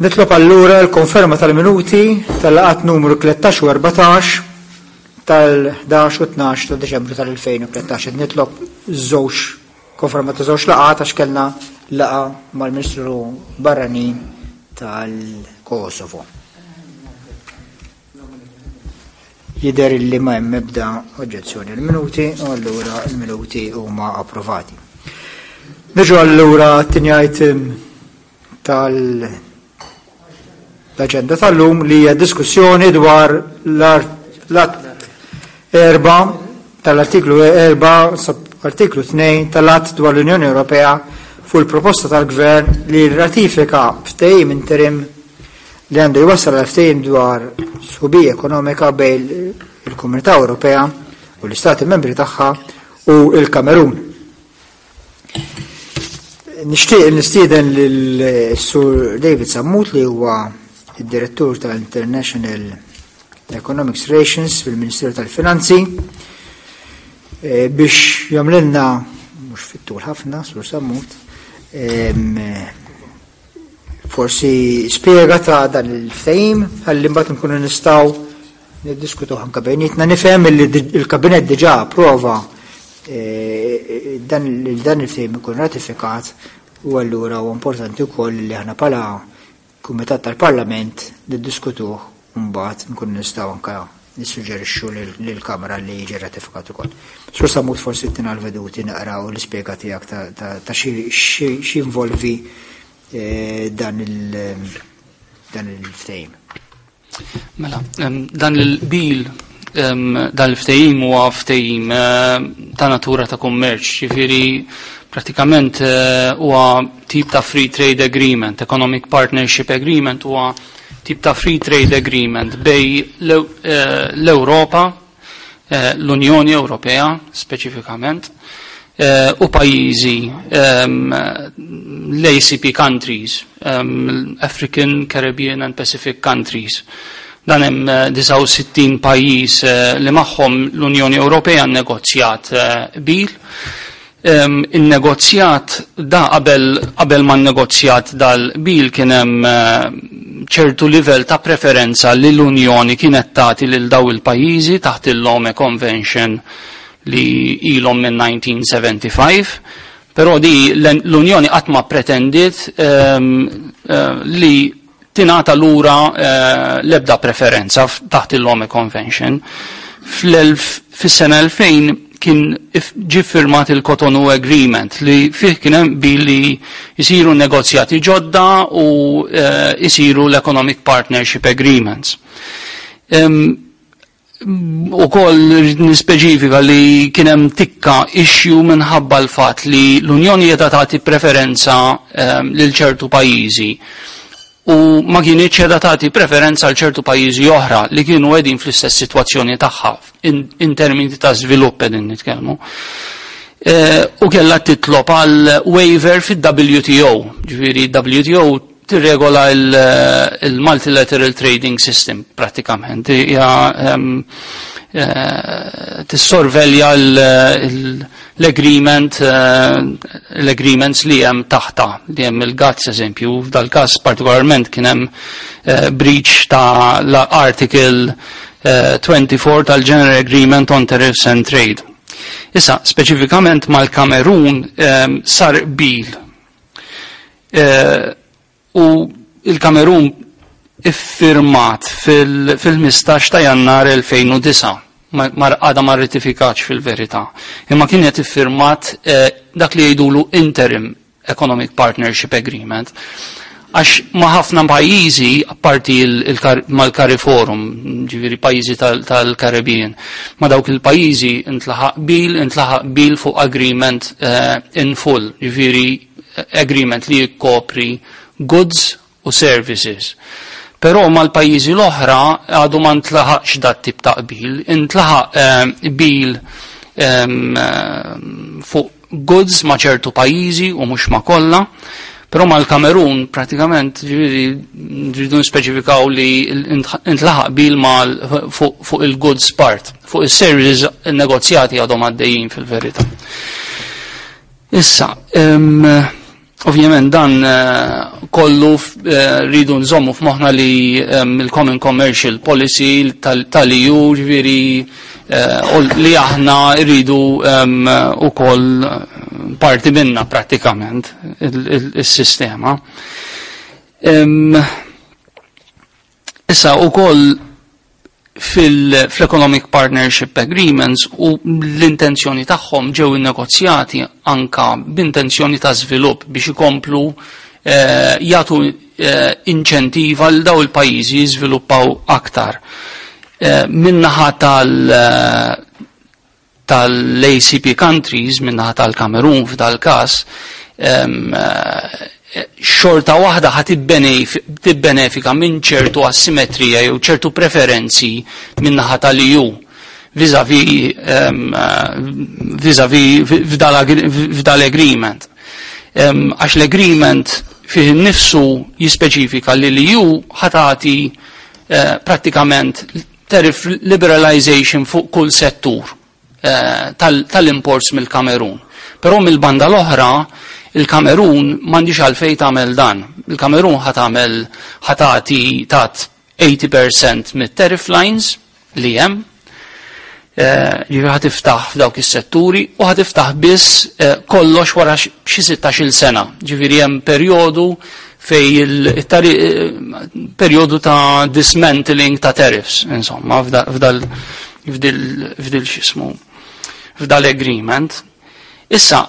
Nitlob allura l-konferma tal-minuti tal-laqat numru 13 u 14 tal-11 u 12 ta' Deċembru tal-2013. Nitlob żewġ konferma ta' żewġ laqat għax kellna laqa mal-Ministru Barranin tal-Kosovo. Jidher li ma hemm ebda oġġezzjoni l-minuti u allura l-minuti huma approvati. Niġu allura t-tieni item tal l-aġenda tal-lum li hija diskussjoni dwar l-att erba tal-artiklu 4 artiklu 2 tal-att dwar l-Unjoni Ewropea fuq il-proposta tal-Gvern li ratifika ftehim interim li għandu jwassal għal ftehim dwar sħubija ekonomika bejn il-Komunità Ewropea u l-Istati Membri tagħha u il-Kamerun. Nixtieq nistieden lil Sur David Sammut li huwa id-Direttur tal-International Economics Relations fil-Ministeru tal-Finanzi eh, biex jagħmlilna mhux fit-tul ħafna, Sur Sammut, forsi spjega ta' dan il-ftehim ħalli mbagħad nkunu nistgħu niddiskutu anke bejnietna. Nifhem li il-Kabinett diġà approva eh, dan il-ftehim ikun ratifikat u allura huwa importanti wkoll li aħna bħala Kumitat tal-Parlament niddiskutuh u mbagħad nkunu nistgħu anke nissuġġerixxu lill-Kamra li jiġi ratifikat ukoll. Sur Sammut forsi tina l-veduti naqra u l-ispjega tiegħek ta' x'involvi eh, dan il-ftehim. Mela, dan il-bil dan il-ftehim huwa ftehim eh, ta' natura ta' kummerċ, ġifieri pratikament eh, huwa tip ta' free trade agreement, economic partnership agreement huwa tip ta' free trade agreement bej eh, l-Ewropa, eh, l-Unjoni Ewropea speċifikament, eh, u pajjiżi ehm, l-ACP countries, ehm, African, Caribbean and Pacific countries. Dan hemm 69 pajjiż li magħhom l-Unjoni Ewropea nnegozjat bil Innegozjat da qabel qabel ma nnegozjat dal-qbil kien hemm ċertu livell ta' preferenza li l-Unjoni kienet tagħti lil daw il-pajjiżi taħt il-Lome Convention li ilhom minn 1975. Però di l-Unjoni qatt ma pretendiet li tingħata lura l-ebda preferenza taħt il-Lome Convention. Fis-sena 2000 kien ġie firmat il-Cotonou Agreement li fih kien hemm billi jsiru negozjati ġodda u jsiru l-Economic Partnership Agreements. Ukoll rrid nispeċifika li kien hemm tikka issue minħabba l-fatt li l-Unjoni qiegħda tagħti preferenza ehm, lil ċertu pajjiżi u ma kienitx qiegħda tagħti preferenza għal ċertu pajjiżi oħra li kienu qegħdin fl-istess sitwazzjoni tagħha in termini ta' żvilupp qegħdin nitkellmu. Eh, u kellha titlob għal waiver fid-WTO, ġifieri WTO tirregola il-multilateral trading system pratikament. Hija ehm, eh, tissorvelja l-agreement eh, l-agreements li hemm taħta li hemm il-GATS eżempju, f'dal-każ partikolarment kien hemm eh, breach ta' l-article 24 tal-General Agreement on Tariffs and Trade. Issa, speċifikament mal-Kamerun ehm, sar qbil Eh, u il-Kamerun iffirmat fil-15 ta' jannar 2009 għada ma rratifikax fil-verità. Imma kienet iffirmat eh, dak li jgħidulu interim Economic Partnership Agreement. Għax ma ħafna pajjiżi, apparti mal-Cariforum, ġifieri pajjiżi tal-Caribbean, ma dawk il-pajjiżi intlaħaq bil, intlaħaq bil fuq agreement eh, in full, ġifieri agreement li jikkopri goods u services. Però mal-pajjiżi l-oħra għadu ma ntlaħaqx dat tip ta' qbil, intlaħaq eh, qbil ehm, eh, fuq goods ma' ċertu pajjiżi u mhux ma' kollha. Però mal-Kamerun pratikament ġifieri rridu nispeċifikaw li intlaħaq bil mal fuq il-goods part, fuq is-services negozjati għadhom għaddejjin fil-verità. Issa, Ovvjament dan kollu rridu nżommu f'moħħna li il-Common Commercial Policy tal-EU ġifieri li aħna rridu ukoll parti minna prattikament il-sistema. Issa ukoll fil-Economic Partnership Agreements u l-intenzjoni tagħhom ġew innegozjati anka b'intenzjoni ta' żvilupp biex ikomplu eh, jagħtu eh, inċentiva l daw il-pajjiżi jiżviluppaw aktar. Eh, min-naħa tal tal-ACP countries min-naħa tal-Kamerun f'dal-każ xorta waħda ħa tibbenefika minn ċertu asimetrija jew ċertu preferenzi min-naħa tal-EU vis-a-vis vis-a-vis f'dal-agreement. Għax l-agreement fih nifsu jispeċifika li l-EU ħa tagħti eh, prattikament tariff liberalization fuq kull settur eh, tal-imports mill-Kamerun. Però mill-banda l-oħra, il-Kamerun m'għandix għalfejn tagħmel dan. Il-Kamerun ħa tagħmel ħa tagħti tat 80% mit-tariff lines li hemm. Eh, ġifieri ħa tiftaħ f'dawk is-setturi u ħa tiftaħ biss eh, kollox wara xi 16-il sena. Ġifieri hemm perjodu fej il-perjodu ta' dismantling ta' tariffs, insomma, f'dal f'dil xismu f'dal-agreement. Issa,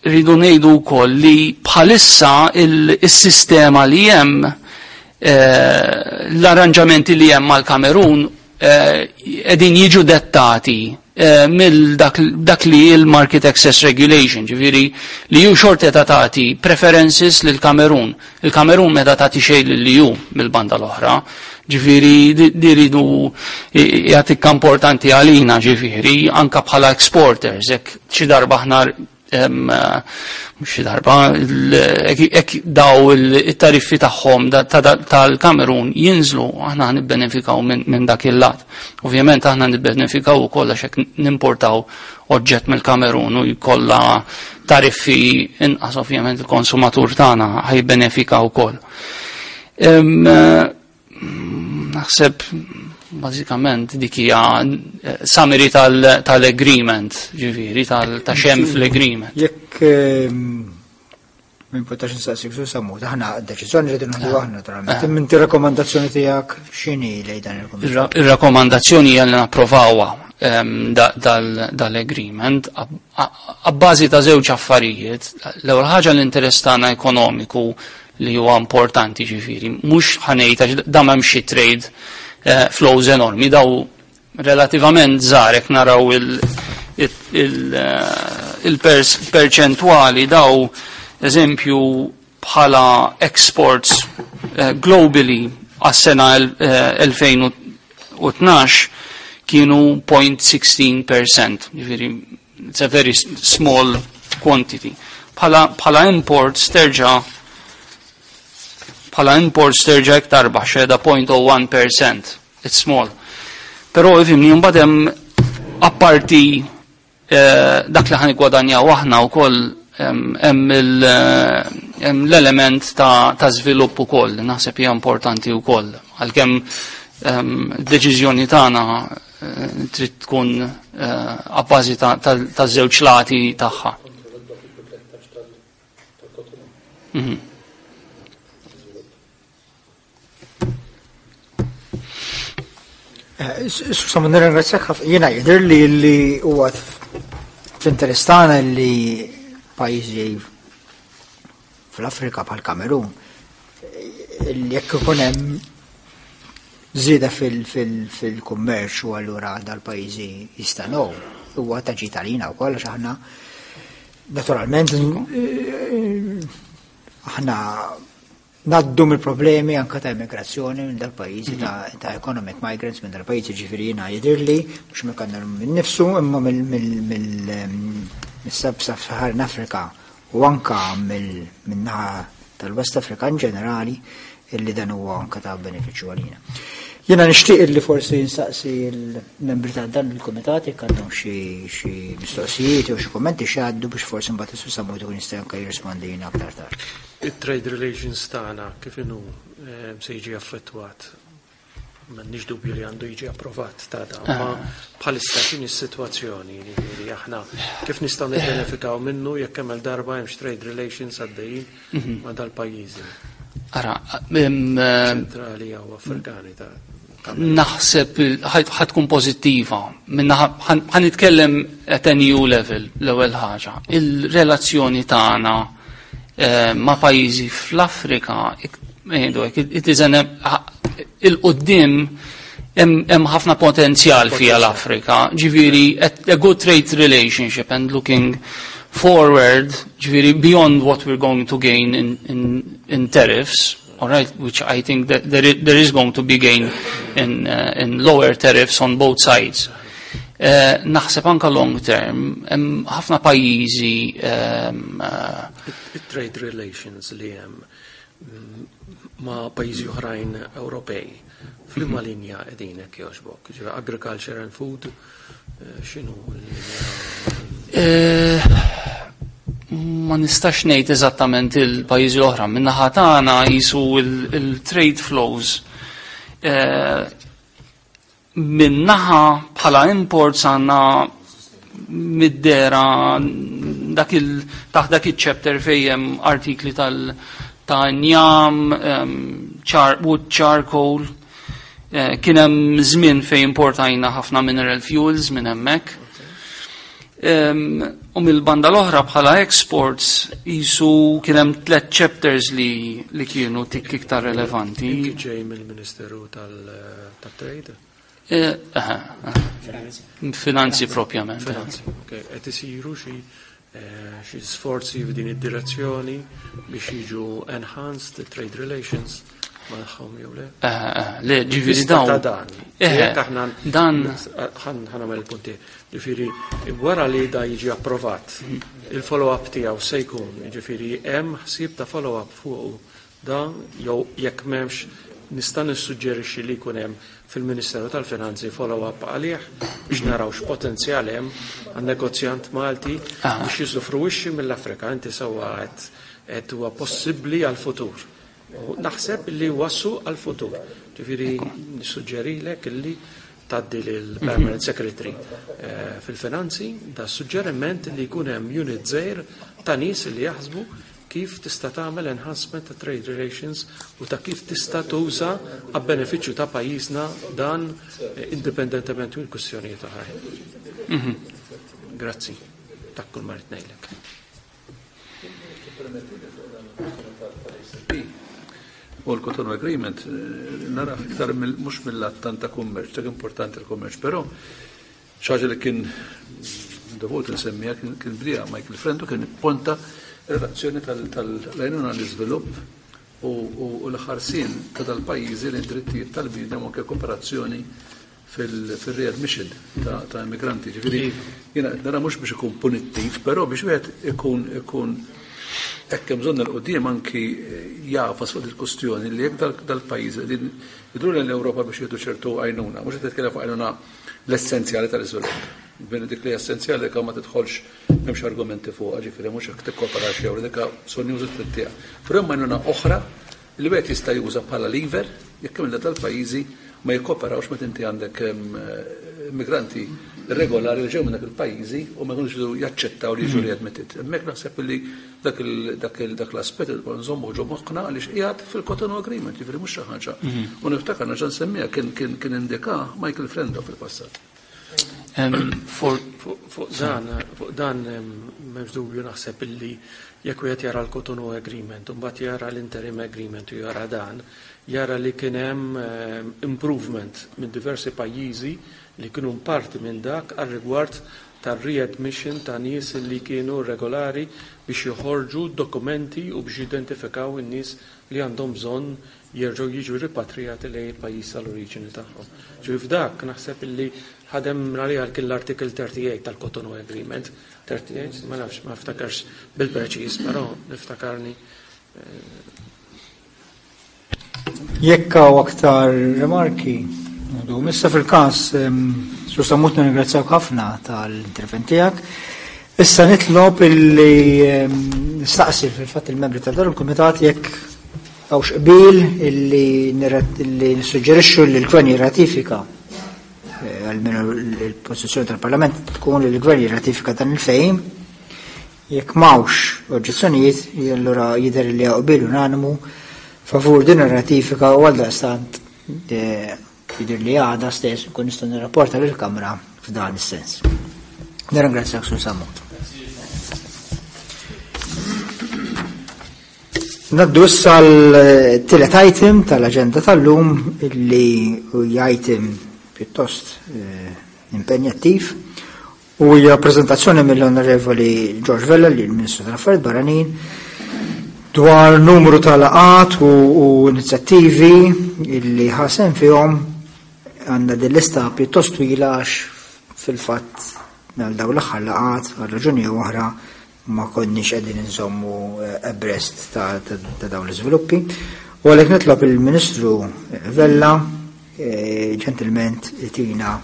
rridu ngħidu wkoll li bħalissa il-sistema li hemm eh, l-arranġamenti li hemm mal-Kamerun qegħdin jiġu dettati eh, mill dak li il-Market Access Regulation, ġifieri li ju xorta ta' tagħti preferences lil Kamerun. Il-Kamerun meta tagħti xejn lil EU mill-banda l-oħra. Ġifieri di rridu jagħtik importanti għalina ġifieri anka bħala exporters, jekk xi darba aħna xi darba jekk daw it-tariffi tagħhom tal-Kamerun jinżlu aħna nibbenefikaw minn dak il-lat. Ovvjament aħna nibbenefikaw ukoll għax hekk nimportaw oġġett mill-Kamerun u jkollha tariffi inqas ovvjament il-konsumatur tagħna ħajbenefika wkoll. Naħseb bażikament dik hija eh, summary tal-agreement, ġifieri ta' xem fl-agreement. Jekk ehm, minn potax nsaqsik su sammu, aħna deċiżjoni rridu nieħdu aħna naturalment. Eh. Minn rakkomandazzjoni tiegħek x'inhi lejn dan il-kumitat? Ir-rakkomandazzjoni hija li napprovawha ehm, dal-agreement abbażi ta' żewġ affarijiet. L-ewwel ħaġa l-interess tagħna ekonomiku li huwa importanti ġifieri, mhux ħa ngħid għax da m'hemm xi trade eh, flows enormi, daw relativament żgħar jekk naraw il-perċentwali eh, daw eżempju bħala exports eh, globally għas-sena 2012 kienu 0.16%, ġifieri it's a very small quantity. Bħala imports terġa' bħala imports terġa' iktar baxxa da 0.01%. It's small. Però ifhimni mbagħad hemm apparti eh, dak li ħan gwadanjaw aħna wkoll hemm eh, l-element ta', ta żvilupp ukoll, naħseb hija importanti wkoll. Għalkemm deċiżjoni tagħna eh, trid tkun eh, abbażi ta' żewġ lati tagħha. Mhm. Eh, Susa, nirringrazzjak ħafna. Jiena jidher li li huwa fl-interess tagħna li pajjiżi fl-Afrika bħal Kamerun jekk ikun hemm żieda fil-kummerċ u allura dal-pajjiżi jistanow huwa ta' ġid għalina wkoll għax aħna naturalment eh, aħna naddu mill-problemi anka ta' immigrazzjoni minn dal-pajjiżi ta', ta economic migrants minn dal-pajjiżi ġifieri jiena jidhirli mhux mill minn nifsu imma mill-Sub-Saharan Africa u anka mill-naħa. tal-West Africa in ġenerali illi dan huwa anke ta' benefiċċju għalina. Jiena nixtieq illi forsi nsaqsi l-membri ta' dan il-kumitat jekk għandhom xi mistoqsijiet jew xi kummenti xi għaddu biex forsi mbagħad is-Sur Sammut ikun jista' anke jirrispondina aktar tard. It-trade relations tagħna kif inhu eh, se jiġi affettwat M'għandniex dubju li għandu jiġi approvat ta' dan, ma ah. bħalissa x'inhi s-sitwazzjoni li aħna kif nistgħu nibbenefikaw minnu jekk hemm darba hemmx trade relations għaddejjin mhm. ma' dal-pajjiżi. Ara, ċentrali jew Afrikani ta' naħseb ħatkun pozittiva. Minna ħan nitkellem at a new level l-ewwel ħaġa. Il-relazzjoni tagħna eh, ma' pajjiżi fl-Afrika it is an il-qoddim hemm ħafna potenzjal fija l-Afrika. Ġifieri a good trade relationship and looking forward, ġifieri beyond what we're going to gain in, in, in tariffs, all right, which I think that there is, there is going to be gain in, uh, in lower tariffs on both sides. Uh, naħseb anka long term, hemm ħafna pajjiżi um, uh, trade relations li hemm ma' pajjiżi oħrajn Ewropej. F'liema mhm. linja qegħdin hekk jogħġbok? Ġifieri agriculture and food, eh, x'inhu l-linja? Eh, ma nistax ngħid eżattament il-pajjiżi l-oħra. Min-naħa tagħna jisu il-trade flows eh, Minn naħa bħala imports għandna mid-dera dak il taħt dak iċ-chapter fejn hemm artikli tal ta' njam, char, wood charcoal. Eh, kien hemm żmien fejn importajna ħafna mineral fuels minn hemmhekk. U mill-banda l-oħra bħala exports jisu kien hemm tliet chapters li, li kienu tik iktar relevanti. Inti ġej mill-Ministeru tal-Trade? Eh, Finanzi propjament. Finanzi, ok. Qed isiru xi eh, xi sforzi f'din id-direzzjoni biex jiġu enhanced trade relations magħhom jew le? Eh, le, ġifieri dawn. Dan. Aħna dan ħan nagħmel il-punti. Ġifieri wara li da jiġi approvat, il-follow-up tiegħu se jkun, ġifieri hemm ħsieb ta' follow-up fuq dan jew jekk m'hemmx nista' nissuġġerixxi li jkun hemm fil-Ministeru tal-Finanzi follow-up għalih biex naraw x'potenzjal hemm għan-negozjant Malti ah. biex jiżufruwixxi mill-Afrika. Inti sewwa qed huwa possibbli għall-futur. U naħseb li huwa suq għall-futur. Ġifieri nissuġġerilek illi tgħaddi lill-Permanent Secretary eh, fil-finanzi da suġġeriment li jkun hemm unit żgħir ta' nies li jaħsbu kif tista' tagħmel enhancement ta' trade relations u ta' kif tista' tuża għab-benefiċċju ta' pajjiżna dan eh, indipendentement minn kwistjonijiet oħrajn. Mhm. Grazzi. Ta' kull ma rrid ngħidlek. U l-Cotonou Agreement eh, nara iktar mhux mill-att tant ta' kummerċ, dak importanti l-kummerċ, però xaġa li kien dovut nsemmija kien bdija Michael Frendo kien ponta relazzjoni tal-għajnuna l-iżvilupp u l-ħarsien ta' dal-pajjiżi l-drittijiet tal-bniedem u anke kooperazzjoni fil-readmission ta' immigranti. Ġifieri jiena qed nara mhux biex ikun punittiv, però biex wieħed ikun ikun hekk hemm bżonn il-qudiem anki jafas fuq il-kustjoni li jekk dal-pajjiż qegħdin jidru lejn l-Ewropa biex jieħdu ċertu għajnuna, mhux qed nitkellem fuq għajnuna l-essenzjali tal-iżvilupp. Bini dik li essenzjali dik ma tidħolx m'hemmx argumenti fuqha, ġifieri mhux hekk tikkoperax jew dik bżonn juża trid Però hemm għajnuna oħra li wieħed jista' juża bħala lever jekk hemm dal-pajjiżi ma jikkoperawx meta inti għandek immigranti irregolari li ġew minn dak il-pajjiżi u ma jkunux jridu jaċċettaw li jiġu mhm. readmitted. Hemmhekk naħseb li dak l-aspett li nżommu ġo moħħna għaliex qiegħed fil-Cotonou Agreement, jiġifieri mhux xi ħaġa. Mhm. U niftakar nerġa' nsemmiha kien indika Michael Frendo fil-passat. Fuq dan, fuq dan m'hemmx dubju naħseb illi jekk wieħed jara l-Cotonou Agreement u mbagħad jara l-Interim Agreement u jara dan, jara li kien hemm improvement minn diversi pajjiżi li kienu parti minn dak għar-rigward tar-readmission ta' nies li kienu irregolari biex joħorġu dokumenti u biex jidentifikaw in-nies li għandhom bżonn jerġgħu jiġu ripatrijati lejn il-pajjiż tal-oriġini tagħhom. Ġifieri f'dak naħseb illi ħadem għaliha kien l-Article 38 tal-Cotonou Agreement. 38, ma nafx, ma niftakarx bil-preċiż, però niftakarni. Jekk hawn aktar rimarki, issa fil-każ, Sur Sammut nirringrazzjak ħafna tal-intervent tiegħek. Issa nitlob illi nistaqsi fil-fatt il-membri ta' dan il-kumitat jekk hawnx qbil illi nissuġġerixxu li l-Gvern jirratifika eh, għalmenu l-pożizzjoni tal-Parlament tkun li l-Gvern jirratifika dan il-fejm Jekk m'hawnx oġġezzjonijiet, allura jidher li hawn qbil unanimu favur din ir-ratifika u għaldaqstant eh, jidher li għada stess nkun nistgħu nirrapporta lill-Kamra f'dan is-sens. Nirringrazzjak Sur Sammut. Naddu issa l-tielet item tal-aġenda tal-lum illi hija item pjuttost eh, impenjattiv U hija preżentazzjoni mill-Onorevoli George Vella li l-Ministru tal-Affarijiet Barranin dwar numru ta' laqat u, u inizjattivi illi ħasem fihom għandna din lista pjuttost twila għax fil-fatt għal dawn l-aħħar laqat għal raġuni oħra ma konniex qegħdin inżommu eh, abreast ta', ta, ta dawn l-iżviluppi. U għalhekk nitlob il-Ministru Vella eh, ġentilment tina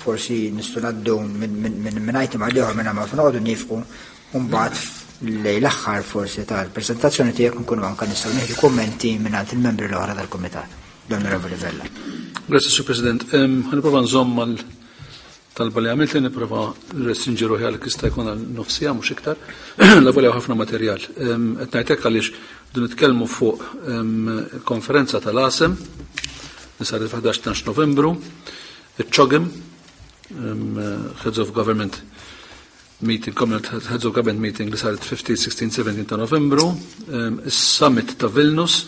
forsi nistgħu ngħaddu minn item għal ieħor minn ma noqogħdu nifqu u mbagħad lej l-aħħar forsi tal-preżentazzjoni tiegħek nkunu anke nistgħu nieħdu kummenti minn il-membri l-oħra tal-kumitat. L-Onorevoli Vella. Grazie, Sur President. Ħaniprova nżomm mal Talba li għamilt li nipprova nrestrinġi ruħi għal jista' jkun għal nofsija mhux iktar, la volja ħafna materjal. Qed ngħid hekk għaliex du nitkellmu fuq konferenza tal-ASEM li saret fil-11 Novembru, iċ-CHOGM, Heads of Government meeting, Commonwealth Heads of Government meeting li saret 15, 16, 17 ta' Novembru, is-Summit ta' Vilnius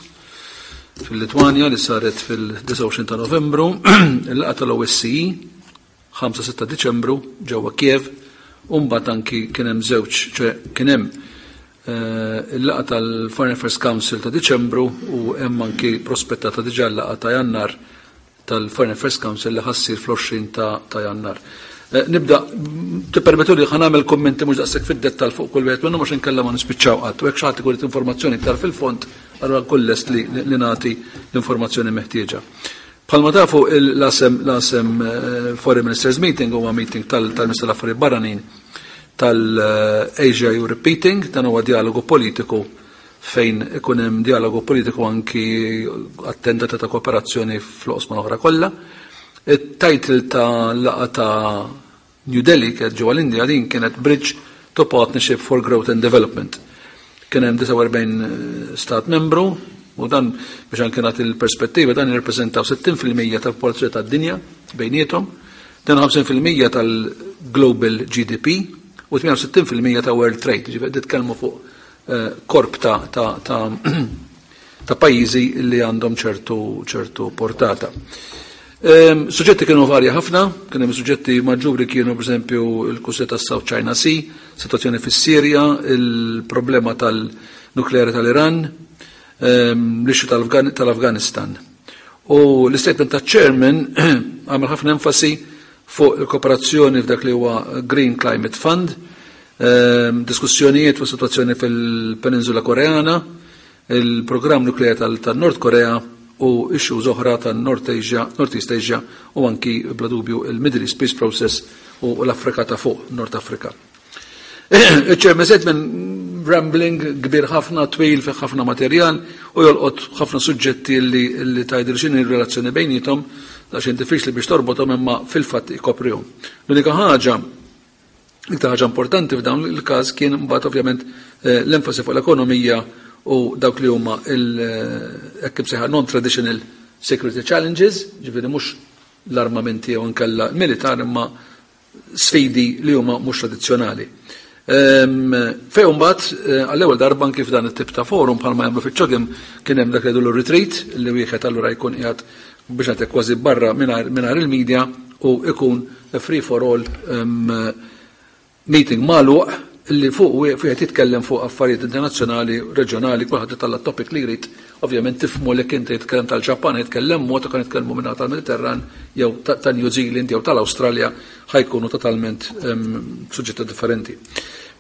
fil-Litwanja li saret fil-29 ta' Novembru, il-laqgħa tal-OSCE 5-6 ta' Diċembru ġewwa Kiev, u mbagħad anki kien hemm żewġ, ċe kien hemm eh, il-laqgħa tal-Foreign Affairs Council ta' Diċembru u hemm anki prospettata diġà l-laqgħa ta' Jannar tal-Foreign Affairs Council li ħa ssir fl-20 ta' Jannar. Eh, nibda, tippermettu li ħa nagħmel kummenti mhux daqshekk fid-dettall fuq kull wieħed minnhom għax inkella ma nispiċċaw qatt. U jekk xi ħadd ikun informazzjoni iktar fil-fond, allura nkun lest li nagħti l-informazzjoni meħtieġa. Bħalma tafu l-ASEM l-ASEM eh, Foreign Ministers Meeting huwa meeting tal-Ministru tal-Affarijiet Barranin tal-Asia Europe Meeting, dan huwa dialogu politiku fejn ikun hemm dialogu politiku anki attendata ta' kooperazzjoni fl-oqsma l-oħra kollha. It-title ta' laqgħa ta' New Delhi kienet ġewwa l-Indja din kienet Bridge to Partnership for Growth and Development. Kien hemm 49 stat membru u dan biex anke nagħti l-perspettiva dan jirrappreżentaw 60% tal-popolazzjoni tad-dinja bejniethom, 52% tal-global GDP u 68% ta' world trade, ġifieri titkellmu fuq korp ta' ta' ta' ta' pajjiżi li għandhom ċertu ċertu portata. Ehm, suġġetti kienu varja ħafna, kien hemm suġġetti maġġuri kienu pereżempju l-kwistjoni tas-South China Sea, situazzjoni fis-Sirja, il-problema tal-nukleari tal-Iran, ehm, l-issue tal-Afganistan. U l-statement ta' chairman għamel ħafna enfasi fuq il-kooperazzjoni f'dak li huwa Green Climate Fund, ehm, diskussjonijiet fuq situazzjoni fil-Peninsula Koreana, il-programm nukleari tal-Nord Korea u issues oħra tan-North Asia, North East Asia u anki bla dubju il-Middle East Peace Process u l-Afrika ta' fuq, North Africa. Il-Chairman Statement rambling kbir ħafna, twil fi ħafna materjal u jolqot ħafna suġġetti li, li tgħidil x'inhi r-relazzjoni bejnietom, daqsxejn diffiċli biex torbothom imma fil-fatt ikoprihom. L-unika ħaġa Iktar ħaġa importanti f'dawn il-każ kien mbagħad ovvjament eh, l-enfasi fuq l-ekonomija u dawk li huma il eh, hekk imsejħa non-traditional security challenges, ġifieri mhux l-armamenti jew inkella militar imma sfidi li huma mhux tradizzjonali. Ehm, Fej mbagħad eh, għall-ewwel darba anki f'dan it-tip ta' forum bħalma jagħmlu fiċ-CHOGM kien hemm dak li jgħidu retreat li wieħed allura jkun qiegħed biex ngħidlek kważi barra mingħajr il-media u ikun free for all um, meeting magħluq. Illi fuq wieħed jitkellem fuq affarijiet internazzjonali, reġjonali, kulħadd italla' topic li jrid. Ovvjament tifhmu li inti jitkellem tal-Ġappan jitkellem mod u kan jitkellmu minn tal-Mediterran jew ta' New Zealand jew tal-Awstralja ħa jkunu totalment suġġetti differenti.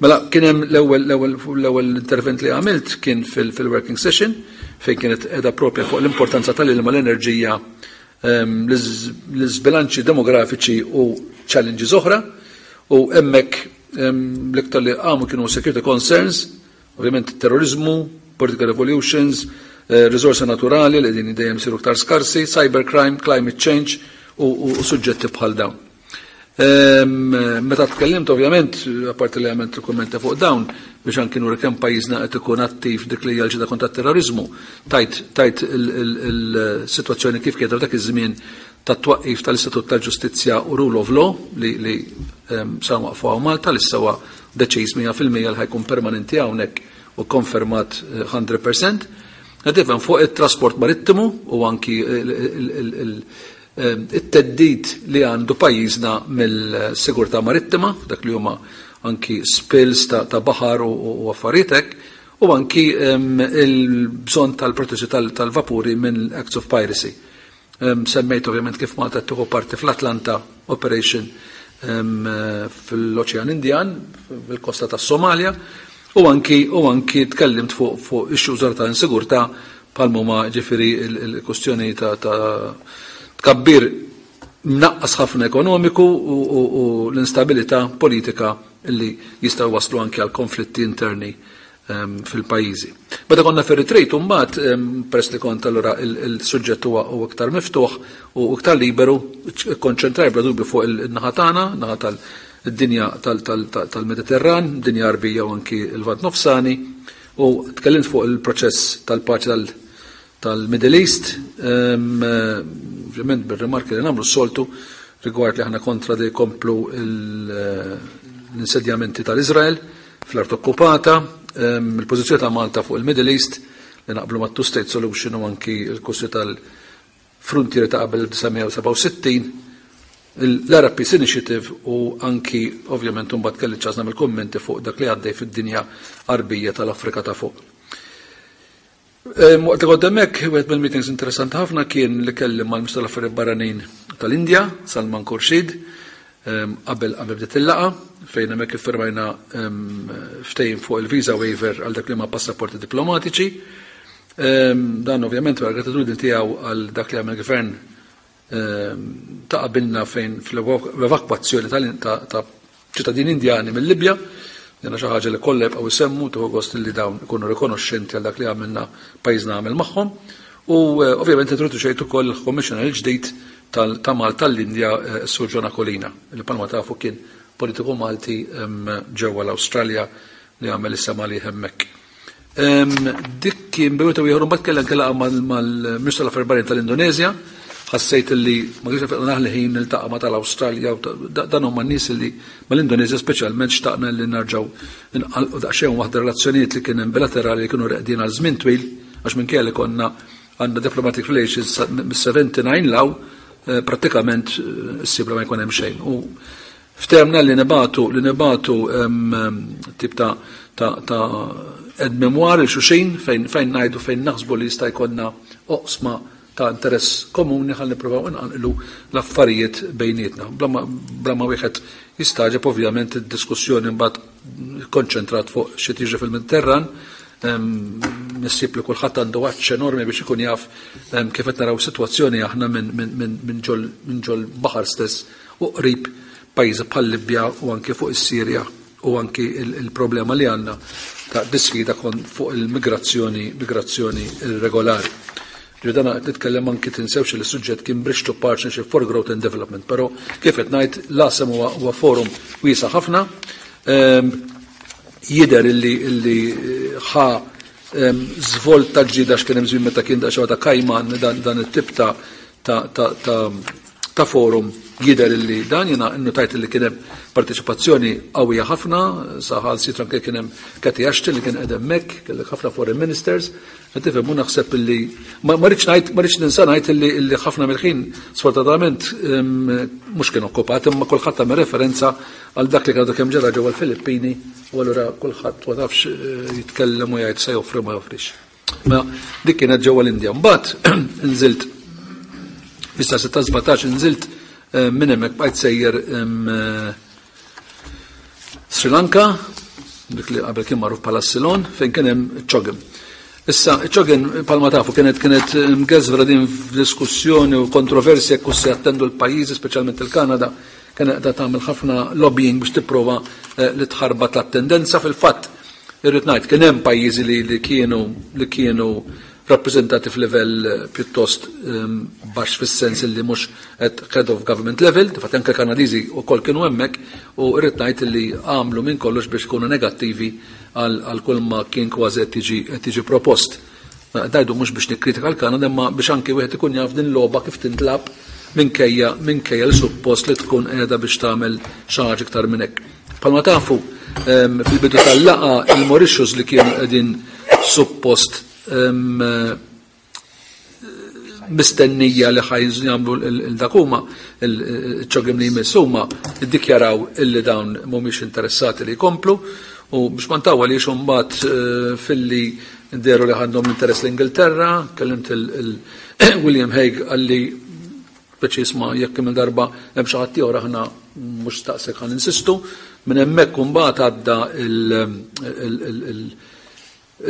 Mela kien hemm l-ewwel intervent li għamilt kien fil-working session fejn kienet qiegħda propja fuq l-importanza tal-ilma, l-enerġija, l-iżbilanċi demografiċi u challenges oħra, u hemmhekk l-iktar li għamu kienu security concerns, ovvjament terrorizmu, political revolutions, risorsi naturali li din dejjem siru iktar skarsi, cybercrime, climate change u suġġetti bħal dawn. Meta tkellimt ovvjament, apparti li għamilt il-kummenti fuq dawn, biex anki nuri kemm pajjiżna qed ikun attiv dik li hija l-ġida kontra terrorizmu, tajt il-sitwazzjoni kif kienet dak iż-żmien tat-twaqqif tal-Istatut tal-Ġustizzja u Rule of Law li sa waqfu hawn Malta, li sewa deċiż 100% li ħa jkun permanenti hawnhekk u konfermat 100%. Għadifem fuq it-trasport marittimu u anki it-theddid li għandu pajjiżna mill-sigurtà marittima, dak li huma anki spills ta' baħar u affarijiet hekk, u anki il-bżonn tal-protezzjoni tal-vapuri minn acts of piracy. Semmejt ovvjament kif Malta tieħu parti fl-Atlanta Operation fil-Oċean Indjan, fil-kosta tas-Somalia, u anki tkellimt fuq issues ta' insigurtà bħal ma ġifieri il-kustjoni ta' tkabbir mnaqqas ħafna ekonomiku u l-instabilità politika li jistgħu waslu anki għal konflitti interni fil-pajjiżi. Meta konna fir-retreat mbagħad, peress li kont allura il-suġġett huwa iktar miftuħ u iktar liberu, konċentraj bla dubju fuq il-naħa tagħna, naħa tal-dinja tal-Mediterran, dinja Arbija u anki l-Lvant Nofsani, u tkellimt fuq il-proċess tal-paċi tal-Middle East, ovvjament bil-rimarki li nagħmlu s-soltu rigward li aħna kontra li jkomplu l-insedjamenti tal-Izrael fl-art okkupata, il-pożizzjoni ta' Malta fuq il-Middle East li naqblu ma' two-state solution u anki il-kussi tal-frontieri ta' qabel 1967, l-Arab Peace Initiative u anki ovvjament mbagħad kelli ċans nagħmel kummenti fuq dak li għaddej fid-dinja Arbija tal-Afrika ta' fuq. Waqt li kont hemmhekk, wieħed mill-meetings interessanti ħafna kien li kellim mal-Ministru tal-Affarijiet Barranin tal-Indja, Salman Khurshid, qabel bdiet il-laqgħa, fejn hemmhekk iffirmajna ftehim fuq il-visa waiver għal dak li ma passaporti diplomatiċi. Dan ovvjament għal gratitudni tiegħu għal dak li għamel gvern ta' qabilna fejn fl-evakwazzjoni ta' ċittadini Indjani mill-Libja. Jena xi ħaġa li kollha jibqgħu jsemmu, tieħu gost li dawn ikunu rikonoxxenti għal dak li għamilna, pajjiżna għamel magħhom. U ovvjament introduċejt ukoll il-Commissioner il-ġdid ta' Malta l-Indja, Sur John Aquilina, li bħalma tafu kien politiku Malti ġewwa l-Awstralja li għamel is-sema li hemmhekk. Dik kien bejwet u ieħor, mbagħad kellha laqgħa mal-Ministru tal-Affarijiet Barranin tal-Indonezja. Ħassejt li ma kienx fejn naħli ħin niltaqa' ma' tal-Awstralja u dan huma n-nies li mal-Indonezja speċjalment xtaqna li narġgħu nqalqu daqsxejn waħda relazzjonijiet li kien hemm bilaterali li kienu reqdin għal żmien twil, għax minkejja li konna għandna diplomatic relations mis-79 law, prattikament issibla ma jkun hemm xejn. U ftehemna li nibagħtu tip ta' aide-mémoire lil xulxin fejn ngħidu fejn naħsbu li jista' jkollna oqsma ta' interess komuni ħalli nippruvaw inqanqlu l-affarijiet bejnietna. Bla ma wieħed jistagħġeb, ovvjament id-diskussjoni mbagħad konċentrat fuq xi tiġri fil-Mediterran. Nissib li kulħadd għandu għatx enormi biex ikun jaf kif qed naraw sitwazzjoni aħna minn ġol baħar stess u qrib pajjiżi bħal Libja u anke fuq is-Sirja u anki il-problema li għandna ta' disfida kon fuq il-migrazzjoni, migrazzjoni irregolari. Ġifieri qed nitkellem anki, tinsewx li s-suġġett kien Bridge to Partnership for Growth and Development, però kif qed ngħid, l-ASEM huwa forum wiesa' ħafna. Jidher illi ħa żvolta ġdida x'kien hemm żmien meta kien daqsxejn ta' kajman dan it-tip ta' forum. Jidher illi dan jiena nnutajt illi kien hemm parteċipazzjoni qawwija ħafna, saħansitra anke kien hemm Cathy Ashton li kien qed hemmhekk, kellek ħafna foreign ministers, qed tifhem u naħseb illi ma rridx ngħid ma rridx ninsa ngħid illi illi ħafna mill-ħin sfortunatament mhux kien okkupat imma kulħadd għamel referenza għal dak li għadu kemm ġara ġewwa l-Filippini u allura kulħadd ma tafx eh, jitkellem u jgħid se joffri ma joffrix. Ma dik kienet ġewwa l-Indja. Mbagħad nżilt fis 6-17 nżilt eh, minn hemmhekk bqajt sejjer eh, Sri Lanka, dik li qabel kien magħruf bħala Ceylon, fejn kien hemm CHOGM. Issa, CHOGM palma tafu kienet kienet mgeżvra din f'diskussjoni u kontroversja jekk se jattendu l-pajjiżi, speċjalment il-Kanada, kien qiegħda tagħmel ħafna lobbying biex tipprova eh, li tħarbat l-attendenza fil-fatt Irrid ngħid kien hemm pajjiżi li, li kienu li kienu rappreżentati f'livell eh, pjuttost um, baxx fis-sens li mhux at head of government level, fatt anke Kanadiżi wkoll kienu hemmhekk u rrid ngħid li għamlu minn kollox biex ikunu negattivi għal kull ma kien kważi qed tiġi propost. Dajdu mhux biex nikkritika l-Kanada imma biex anke wieħed ikun jaf din logħba kif tintlab minkejja minkejja li suppost li tkun qiegħda biex tagħmel xi ħaġa iktar minn hekk. Palma tafu, fil-bidu tal-laqa il-Mauritius li kienu qegħdin suppost mistennija li ħaj jagħmlu il-dakuma, il-CHOGM li jmiss huma iddikjaraw illi dawn mhumiex interessati li jkomplu u biex ma ntawwa li mbagħad eh, filli deru li għandhom l-interess l-Ingilterra, kellimt il-William Hague għalli speċi isma' jekk kemm darba hemm xi ħadd ieħor aħna mhux staqsek ħan insistu, minn hemmhekk imbagħad għadda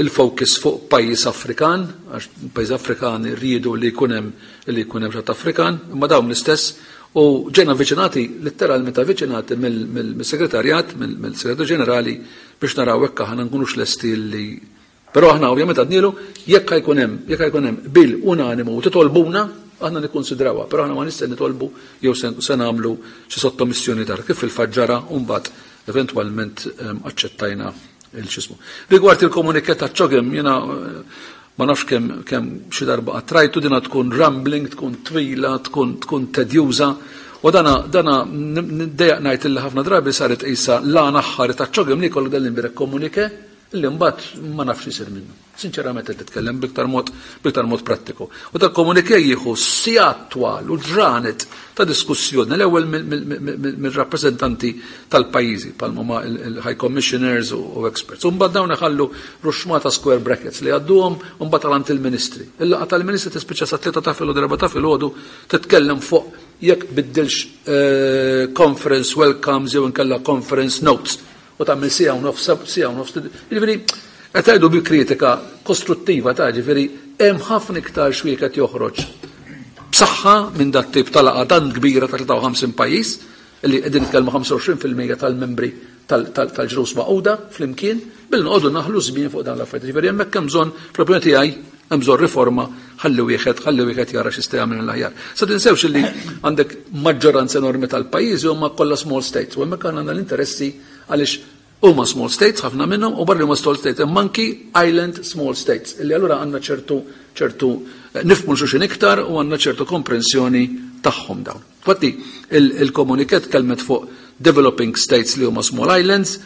il-focus fuq pajjiż Afrikan, għax pajjiż Afrikan rridu li jkun hemm li jkun hemm xatt Afrikan, imma dawn l-istess u ġejna avviċinati, letteralment avviċinati mill-segretarjat, mill-segretarju ġenerali biex naraw hekk aħna nkunux lesti li Però aħna ovvjament għadnielu jekk jkun hemm jekk jkun hemm bil unanimu u titolbuna aħna nikkonsidrawha, però aħna ma nistgħu nitolbu jew se nagħmlu xi sottomissjoni tar kif fil-fatt ġara u mbagħad eventwalment aċċettajna il-xismu. Rigward il-komunikat ta' CHOGM jiena eh, ma nafx kemm kemm xi darba qattrajtu dina tkun rambling, tkun twila, tkun tkun tedjuża. U dana dana ndejjaq ngħid illi ħafna drabi saret qisha l-għan aħħar ta' CHOGM li jkollu dan l-imbirek komunike li mbagħad ma nafx isir minnu. Sinċerament qed titkellem biktar mod biktar mod prattiku. U dak komunike jieħu sigħat twal u ġranet ta' diskussjoni l-ewwel mill-rappreżentanti tal-pajjiżi bħalma ma il-high commissioners u experts. U mbagħad dawn iħallu ruxmata square brackets li għadduhom u mbagħad għand il-ministri. Il-laqgħa tal-ministri tispiċċa sa 3 ta' filgħodu 4 ta' filgħodu titkellem fuq jekk biddilx eh, conference welcomes jew inkella conference notes u tagħmel siegħa u nofs, siegħa u nofs. Jiġifieri qed tgħidu bi kritika kostruttiva ta' ġifieri hemm ħafna iktar xwiek qed joħroġ b'saħħa minn dat tip ta' laqgħa dan kbira ta' 53 pajjiż li qegħdin nitkellmu 25% tal-membri tal-Ġnus Magħquda flimkien bil noqogħdu naħlu żmien fuq dan l-affarijiet. Ġifieri hemmhekk hemm bżonn fl-opinjoni tiegħi hemm bżonn riforma ħalli wieħed ħalli wieħed jara x'jista' jagħmel l-aħjar. Sa tinsewx li għandek maġġoranza enormi tal-pajjiżi huma kollha small states u hemmhekk għandna l-interessi għaliex huma small states ħafna minnhom u barra huma small states hemm anki island small states illi allura għandna ċertu ċertu eh, nifhmu xulxin iktar u għandna ċertu komprensjoni tagħhom dawn. Infatti il-komuniket kelmet fuq developing states li huma small islands,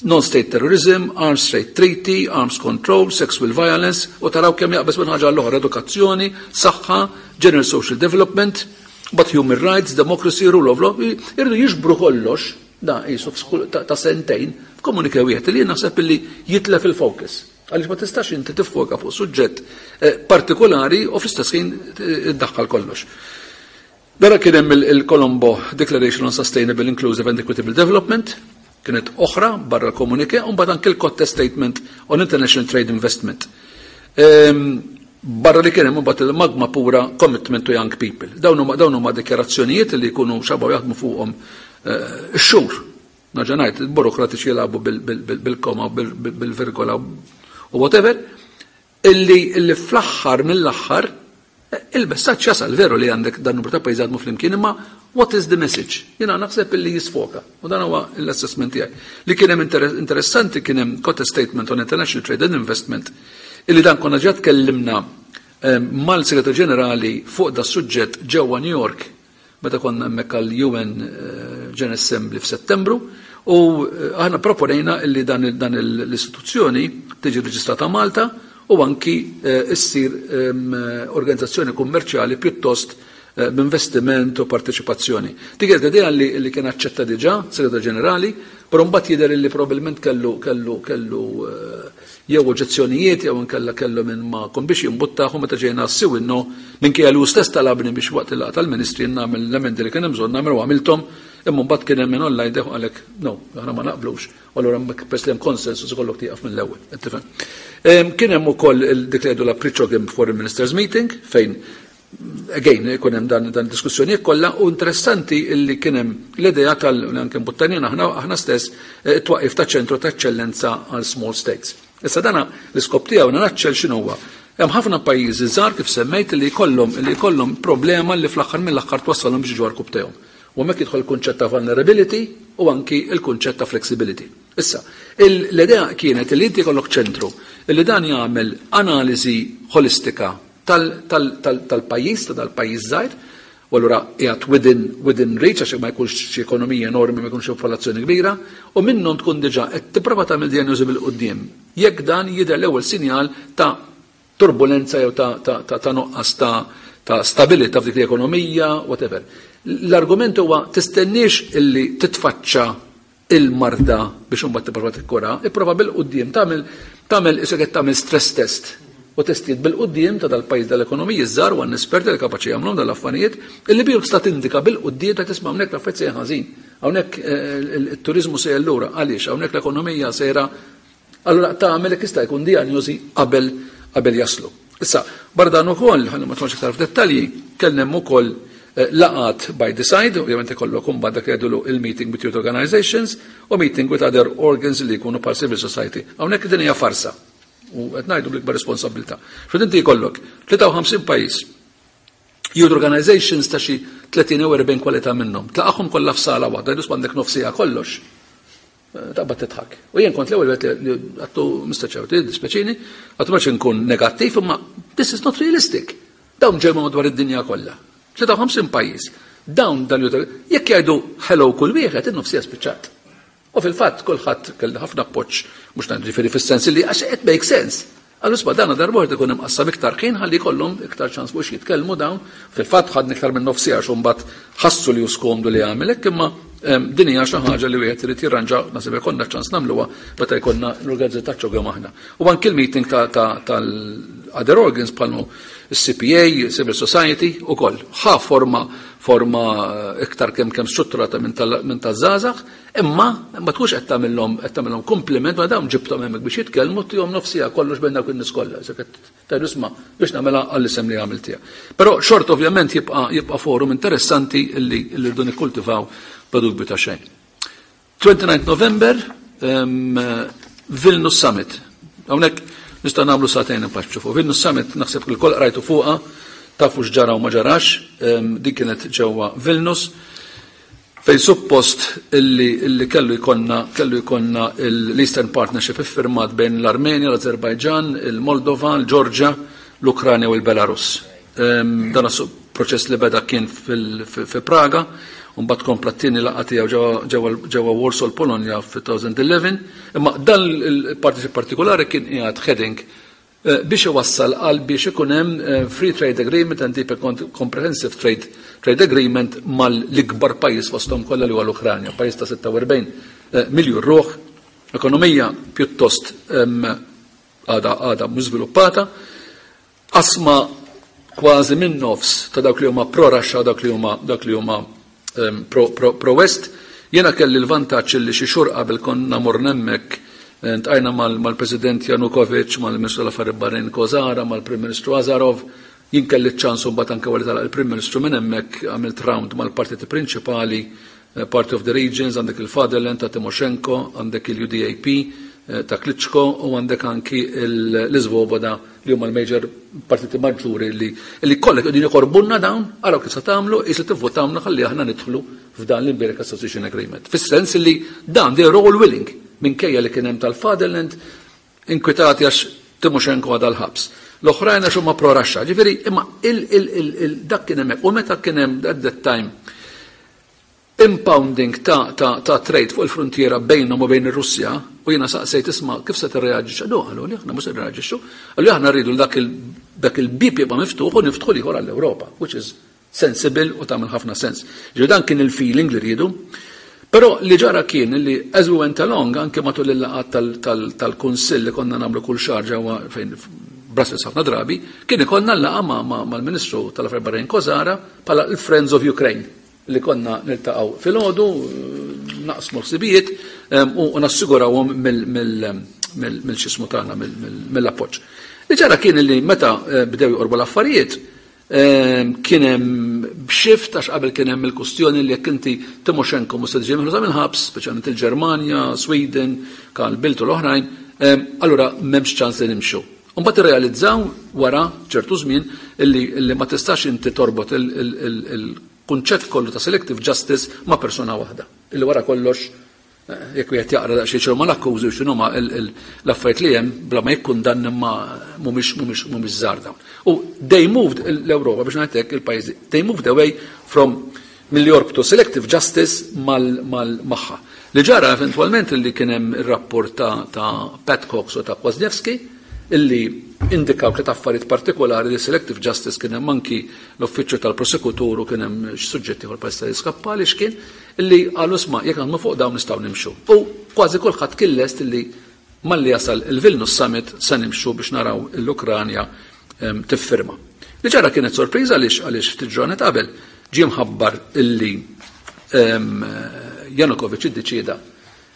non-state terrorism, arms trade treaty, arms control, sexual violence, u taraw kemm jaqbeż minn ħaġa l-oħra, edukazzjoni, saħħa, general social development, but human rights, democracy, rule of law, irridu jiġbru kollox, da jisu ta' sentejn, f'komunike wieħed li naħseb li jitlef il-focus. Għaliex ma tistax inti tiffoka fuq suġġett eh, partikolari u fl-istess ħin eh, iddaħħal kollox. Dara kien hemm il-Colombo Declaration on Sustainable, Inclusive and Equitable Development, kienet oħra barra l-komunike, u mbagħad anke l-Kotte Statement on International Trade Investment. Barra li kien hemm imbagħad il-Magma Pura Commitment to Young People. Dawn huma dawn huma dikjarazzjonijiet li jkunu xabaw jaħdmu fuqhom eh, x-xhur. Nerġa' ngħid, il-burokratiċi jilagħbu bil-koma, bil-virgola u whatever, illi illi fl-aħħar mill-aħħar eh, il-messaġġ jasal veru li għandek dan numru ta' pajjiżi jaħdmu flimkien, imma what is the message? Jiena naħseb illi jisfoka. U dan huwa l-assessment tiegħi. Li kien hemm interessanti kien hemm Kotte Statement on International Trade and Investment illi dan konna ġa tkellimna eh, mal-Segretarju Ġenerali fuq da suġġett ġewwa New York. meta konna hemmhekk għall-UN General Assembly f'Settembru u aħna proponejna li dan l-istituzzjoni tiġi reġistrata Malta u anki issir organizzazzjoni kummerċjali pjuttost b'investiment u parteċipazzjoni. Dik kienet idea li kien aċċetta diġà Segretarju Ġenerali, però mbagħad jidher li probabbilment kellu kellu kellu jew oġġezzjonijiet jew inkella kellu minn ma kon biex jimbuttaħ u meta ġejna s-siwinno minkejja li hu stess talabni biex waqt il-laqgħa tal-Ministri nagħmel l-emendi li kien hemm bżonn nagħmel u għamilthom, imma mbagħad kien hemm min online deħ qalek no, aħna ma naqblux. U allura hemmhekk peress li hemm konsensus ikollok tieqaf mill-ewwel, qed tifhem. Kien hemm ukoll dik li jgħidu la Prichogim Foreign Ministers Meeting fejn again ikun hemm dan dan diskussjonijiet kollha u interessanti illi kien hemm l-idea tal anke mbuttanina aħna aħna stess it-twaqqif ta' ċentru ta' eċċellenza għal small states. Issa dana l-iskop tiegħu naraċċel x'inhu huwa. Hemm ħafna pajjiżi żgħar kif semmejt li jkollhom li jkollhom problema li fl-aħħar mill-aħħar twassalhom biex jiġu għarkub tagħhom. U hemmhekk jidħol il-kunċett ta' vulnerability u anki il-kunċett ta' flexibility. Issa, l-idea kienet li inti jkollok ċentru li dan jagħmel analiżi ħolistika tal-pajjiż, ta' dal-pajjiż żgħir, u allura qiegħed within, within reach għax ma jkunx xi ekonomija enormi, ma jkunx popolazzjoni kbira, u minnhom tkun diġà qed tipprova tagħmel dijanjosi bil-quddiem. Jekk dan jidher l-ewwel sinjal ta' turbulenza jew ta', ta, ta, ta' nuqqas ta' ta' stabilità f'dik l-ekonomija, whatever. L-argument huwa tistenniex illi titfaċċa il-marda biex imbagħad tipprova tikkura, ipprova bil-quddiem tagħmel tagħmel isek qed tagħmel stress test u testijiet bil-quddiem ta' dal-pajjiż dal-ekonomiji żgħar u għandna esperti li kapaċi jagħmluhom dal-affarijiet illi bihom tista' tindika bil-quddiem ta' tisma' hawnhekk l-affarijiet sejjer ħażin. Hawnhekk it-turiżmu sejjer lura għaliex hawnhekk l-ekonomija sejra. Allura tagħmel jekk jista' jkun dijanjosi qabel qabel jaslu. Issa, barra dan ukoll, ħalli ma tmorx iktar f'dettalji, kellna hemm ukoll laqgħat by the side, ovvjament ikollok imbagħad dak li jgħidulu il-meeting with youth organizations u meeting with other organs li jkunu bħal civil society. Hawnhekk din hija farsa u qed ngħidu bl-ikbar responsabilità. X'qed inti jkollok 53 pajjiż youth organizations ta' xi 30 jew 40 kwalità minnhom. Tlaqahom kollha f'sala waħda, jgħidu għandek nofsija kollox. Taqbad tidħak. U jien kont l-ewwel wieħed li għattu Mr. Chair, dispeċini, għattu ma nkun negattiv, imma this is not realistic. Dawn ġew madwar id-dinja kollha. 53 pajjiż. Dawn dan jekk jgħidu hello kull wieħed, in-nofsija spiċċat. U fil-fatt kulħadd kelli ħafna appoġġ mhux ngħid ġifieri fis-sens li għax it make sense. Għallu isma' dan darba ikun imqassam iktar ħin ħalli jkollhom iktar ċans biex jitkellmu dawn. Fil-fatt ħadni iktar minn nofs siegħa mbagħad ħassu li hu skomdu li għamel hekk imma din hija xi ħaġa li wieħed irid jirranġa naħseb ikollna ċans nagħmluha meta jkollna l-organizzazzjoni taċ-ċogem aħna. U anki l-meeting tal-other organs bħal il-CPA, Civil Society ukoll. Ħa forma forma iktar kemm kemm strutturata minn taż-żgħażagħ, imma ma tkunx qed tagħmilhom qed tagħmilhom kompliment ma dawn ġibthom hemmhekk biex jitkellmu tihom nofsija kollox bejn dawk in-nies kollha. Tgħidu isma' biex nagħmilha għall-isem li għamiltiha. Però xort ovvjament jibqa' jibqa' forum interessanti li rridu nikkultivaw bla dubju ta' xejn. 29 November, Vilnius Summit. Hawnhekk nista' nagħmlu sagħtejn impaċċu fuq. Vilnius Summit naħseb li l-koll qrajtu fuqha, tafu x'ġara u ma ġarax, din kienet ġewwa Vilnius fejn suppost illi, illi kellu jkollna kellu jkollna l-Eastern Partnership iffirmat bejn l-Armenja, l-Azerbajġan, il-Moldova, l-Ġorġja, l-Ukranja u l-Belarus. Dan proċess li beda kien fi Praga, u mbagħad kompla t-tieni laqgħa tiegħu ġewwa Warsaw l-Polonja fi-2011, imma dan il-partnership partikolari kien qiegħed heading biex iwassal għal biex ikun hemm free trade agreement and deep comprehensive trade, trade agreement mal-ikbar pajjiż fosthom kollha li huwa l-Ukranja, pajjiż ta' 46 miljun ruħ, ekonomija pjuttost għada għada mhux żviluppata, qasma kważi minn nofs ta' dawk li huma pro-Russia u dak li huma dak li huma pro-West. Jiena kelli l-vantaġġ li xi xhur qabel konna morna hemmhekk ntqajna mal-President Janukovic, mal-Ministru tal-Affarijiet Barranin Kozara, mal-Prim Ministru Azarov. Jien kelli ċ-ċans mbagħad anke wara telaq il-Prim Ministru minn hemmhekk għamilt round mal-partiti prinċipali, Party of the Regions, għandek il-Fatherland ta' Timoshenko, għandek il-UDAP ta' Klitschko u għandek anki l-Svoboda li huma l-major partiti maġġuri li li kollha qegħdin jokorbunna dawn, araw kif se tagħmlu, qis li tivvotawna ħalli aħna nidħlu f'dan l-Imbierek Association Agreement. Fis-sens li dan they are all willing minkejja li kien hemm tal-Fatherland inkwitati għax Timoshenko għadha l-ħabs. L-oħrajn għax huma pro-Russia. Ġifieri, imma dak kien hemmhekk. U meta kien hemm at that time impounding ta' trade fuq il-frontiera bejnhom u bejn ir-Russja, u jiena saqsejt, isma', kif se tirreaġixxu? No, qalu li aħna mhux se nirreaġixxu. Qalu aħna rridu dak il-bib jibqa' miftuħ u niftħu l-ieħor għall-Ewropa, which is sensible u tagħmel ħafna sens. Ġifieri dan kien il-feeling li rridu. Però li ġara kien li as we went along, anke matul il-laqgħat tal-Kunsill li konna nagħmlu kull xahar ġewwa fejn Brussels ħafna drabi, kien ikollna l-laqgħa mal-Ministru tal-Affarijiet Barranin Kozara bħala l-Friends of Ukraine, li konna niltaqgħu filgħodu, naqsmu ħsibijiet u nassigurawhom mill-xismu tagħna, mill-appoġġ. Li ġara kien li meta bdew joqorbu l-affarijiet, kien hemm shift, għax qabel kien hemm il-kustjoni li jekk inti Timoshenko mhux se tiġi meħlusa mill-ħabs, speċjalment il-Ġermanja, Sweden, Carl Bildt u l-oħrajn, allura m'hemmx ċans li nimxu. Mbagħad irrealizzaw wara ċertu żmien illi ma tistax inti torbot il-kunċett kollu ta' selective justice ma' persuna waħda. Illi wara kollox, jekk wieħed jaqra daqsxejn x'inhuma l-akkużi u x'inhuma l-affarijiet li hemm, bla ma jikkundanna, ma mhumiex żgħar dawn. U they moved l-Ewropa, biex ngħid hekk, il-pajjiżi, they moved away from milli jorbtu selective justice mal magħha. Li ġara eventwalment li kien hemm ir-rapport ta' Pat Cox u ta' Kwasniewski, illi indikaw tliet affarijiet partikolari li selective justice, kien hemm anki l-uffiċċju tal-prosekutur u kien hemm x'suġġetti ieħor pajjiż jiskappali x'kien, illi qalu, isma', jekk naħdmu fuq dawn nistgħu nimxu. U kważi kulħadd kien lest illi malli jasal il-Vilnius Summit se nimxu biex naraw l-Ukranja tiffirma. Li ġara kienet sorpriża għaliex ftit ġranet qabel ġie mħabbar illi Janukovic iddeċieda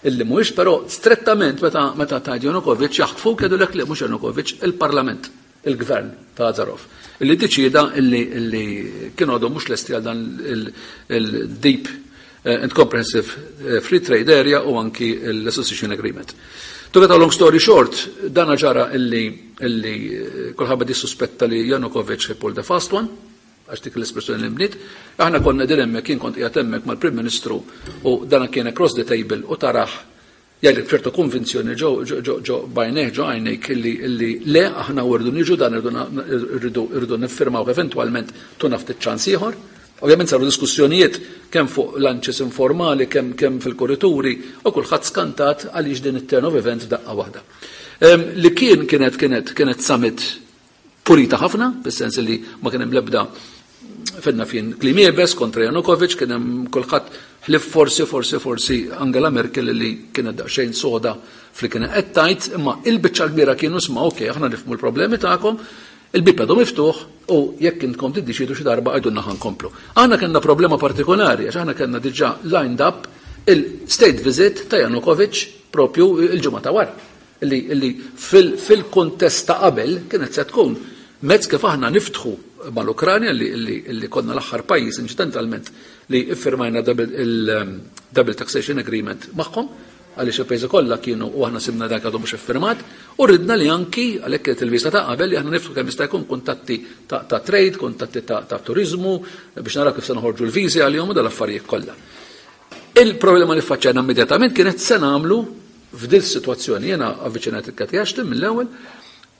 illi mhuwiex, però strettament meta tgħid Janukovic jaħtfu jgħidulek li mhux Janukovic, il-Parlament, il-gvern ta' Azarov, illi deċida illi kienu għadhom mhux lesti għal dan il-Deep and Comprehensive Free Trade Area u anki l-Association Agreement. To get a long story short, dana ġara illi kulħadd suspetta li Janukovic pulled the fast one, għax dik l-espressjoni li mbniet. Aħna konna din hemmhekk, jien kont qiegħed hemmhekk mal-Prim Ministru u dana kien across the table u tarah jgħidlek ċertu konvinzjoni ġo ġo ġo ġo bajnejh, ġo għajnejk, illi le, aħna rridu niġu dan, irridu niffirmaw eventwalment, tuna ftit ċans ieħor. Ovvjament saru diskussjonijiet kemm fuq lunches informali, kemm fil-korrituri, u kulħadd skantat għaliex din it-turn of events f'daqqa waħda. Li kien kienet summit pulita ħafna, fis-sens li ma kien hemm l-ebda fenna fien kliem iebes kontra Janukovic, kien hemm kulħadd ħlief forsi Angela Merkel li kienet daqsxejn soda fli kienet qed tgħid, imma il-biċċa kbira kienu, isma', okej, aħna nifhmu l-problemi tagħkom, il-bib għadu miftuħ u jekk intkom tiddeċidu xi darba għidulna, ħa nkomplu. Aħna kellna problema partikolari għax aħna kellna diġà lined up il-state visit ta' Janukovic propju il-ġimgħa ta' wara. Illi fil-kontest ta' qabel kienet se tkun mezz kif aħna niftħu mal-Ukranja, li konna l-aħħar pajjiż incidentalment li iffirmajna il-Double Taxation Agreement magħhom, għaliex il-pajjiżi kollha kienu u aħna sibna dak għadu mhux iffirmat, u ridna li anki għalhekk kienet il-viża ta' qabel li aħna niftħu kemm jista' jkun kuntatti ta' trade, kuntatti ta' turizmu, biex naraw kif se noħorġu l-viżi għalihom u dal-affarijiet kollha. Il-problema li faċċajna immedjatament kienet se nagħmlu f'dil situazzjoni. Jena avviċinajt il-Cathy Ashton mill-ewwel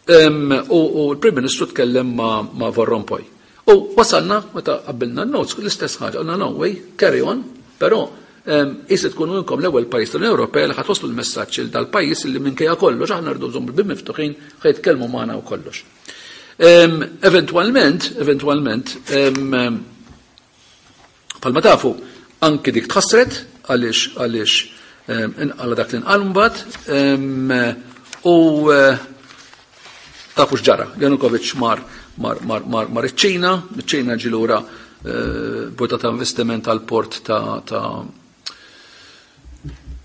u l-Prim Ministru tkellem ma' Van Rompuy. U wasalna, meta qabbilna n-notes, l-istess ħaġa, għalna no way, carry on, però issa tkunu inkom l-ewwel pajjiż tal-Unjoni Ewropea li ħa twasslu l-messaġġ il dal-pajjiż li minkejja kollox aħna rridu nżommu l-bib miftuħin, ħa jitkellmu magħna u kollox. Eventwalment, bħalma tafu, anki dik tħassret għaliex inqala dak li nqal mbagħad u tafu x'ġara. Janukovic mar iċ-Ċina, iċ-Ċina ġie lura bota ta' investiment għal port ta'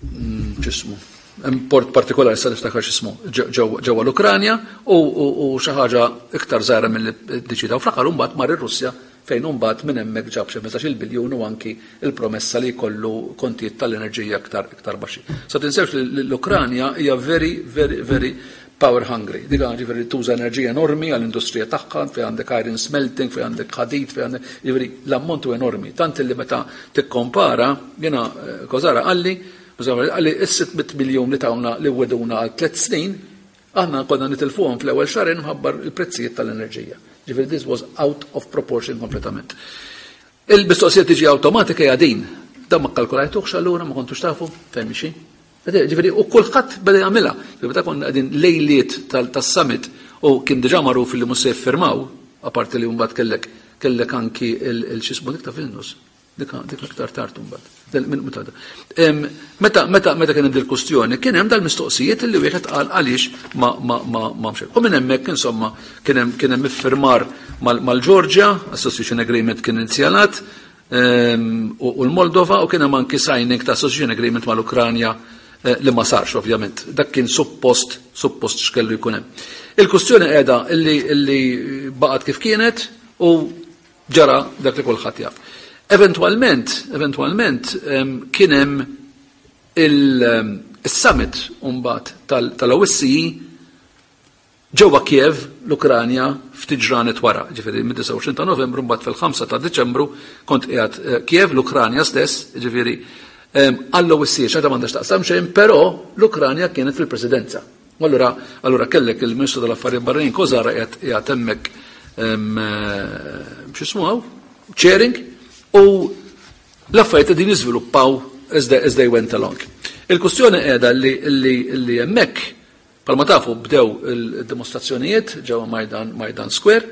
x'ismu. Hemm port partikolari, sa niftakar x'ismu, ġewwa l-Ukranja u xi ħaġa iktar żgħira milli ddeċida. U fl-aħħar mbagħad mar ir-Russja, fejn mbagħad minn hemmhekk ġab xi 15-il biljun u anki il-promessa li jkollu kontijiet tal-enerġija iktar baxxi. Sa tinsewx li l-Ukranja hija very, very, very power hungry. Diga ġifieri tuża enerġija enormi għall-industrija tagħha, fejn għandek iron smelting, fejn għandek ħadid, fejn għandek, ġifieri l-ammont hu enormi. Tant li meta tikkompara, jiena Kozara qalli, qalli is-600 miljun li tawna, li weduna għal 3 snin. Aħna konna nitilfuhom fl-ewwel xahrejn mħabba l-prezzijiet tal-enerġija. Ġifieri this was out of proportion kompletament. Il-mistoqsija tiġi awtomatika hija din. Dan ma kkalkulajtuhx allura, ma kontux tafu fejn mixi? Ġifieri u kulħadd beda jagħmilha. Ġifieri meta konna qegħdin lejliet tas-summit u kien diġà magħruf li mhux se jiffirmaw, apparti li mbagħad kellek kellek anki il-xismu dik ta' Vilnius. Dik dik aktar tard imbagħad. Meta meta meta kien hemm dil-kustjoni, kien hemm dal-mistoqsijiet li wieħed qal għaliex ma ma ma ma mxejn. U minn hemmhekk insomma kien hemm kien hemm iffirmar mal-Ġorġja, Association Agreement kien inizjalat, u l-Moldova, u kien hemm anki signing ta' Association Agreement mal-Ukranja li ma sarx ovvjament. Dak kien suppost suppost x'kellu jkun hemm. Il-kustjoni qiegħda illi illi baqgħet kif kienet u ġara dak li kulħadd jaf. Eventwalment, eventwalment kien hemm il-summit mbagħad tal-OSCE ġewwa Kiev, l-Ukranja, ftit ġranet wara, ġifieri mid-29 ta' Novembru, mbagħad fil-5 ta' Diċembru kont qiegħed Kiev, l-Ukranja stess, ġifieri għall-OSCE, x'għadha m'għandax taqsam xejn, però l-Ukranja kienet fil-presidenza. U allura allura kellek il-Ministru tal-Affarijiet Barranin Kozara qiegħed qiegħed hemmhekk x'ismu hawn? Chairing, u l-affarijiet qegħdin jiżviluppaw as they, as they went along. Il-kwistjoni qiegħda li li li hemmhekk bħalma tafu bdew il-dimostrazzjonijiet ġewwa Majdan Majdan Square.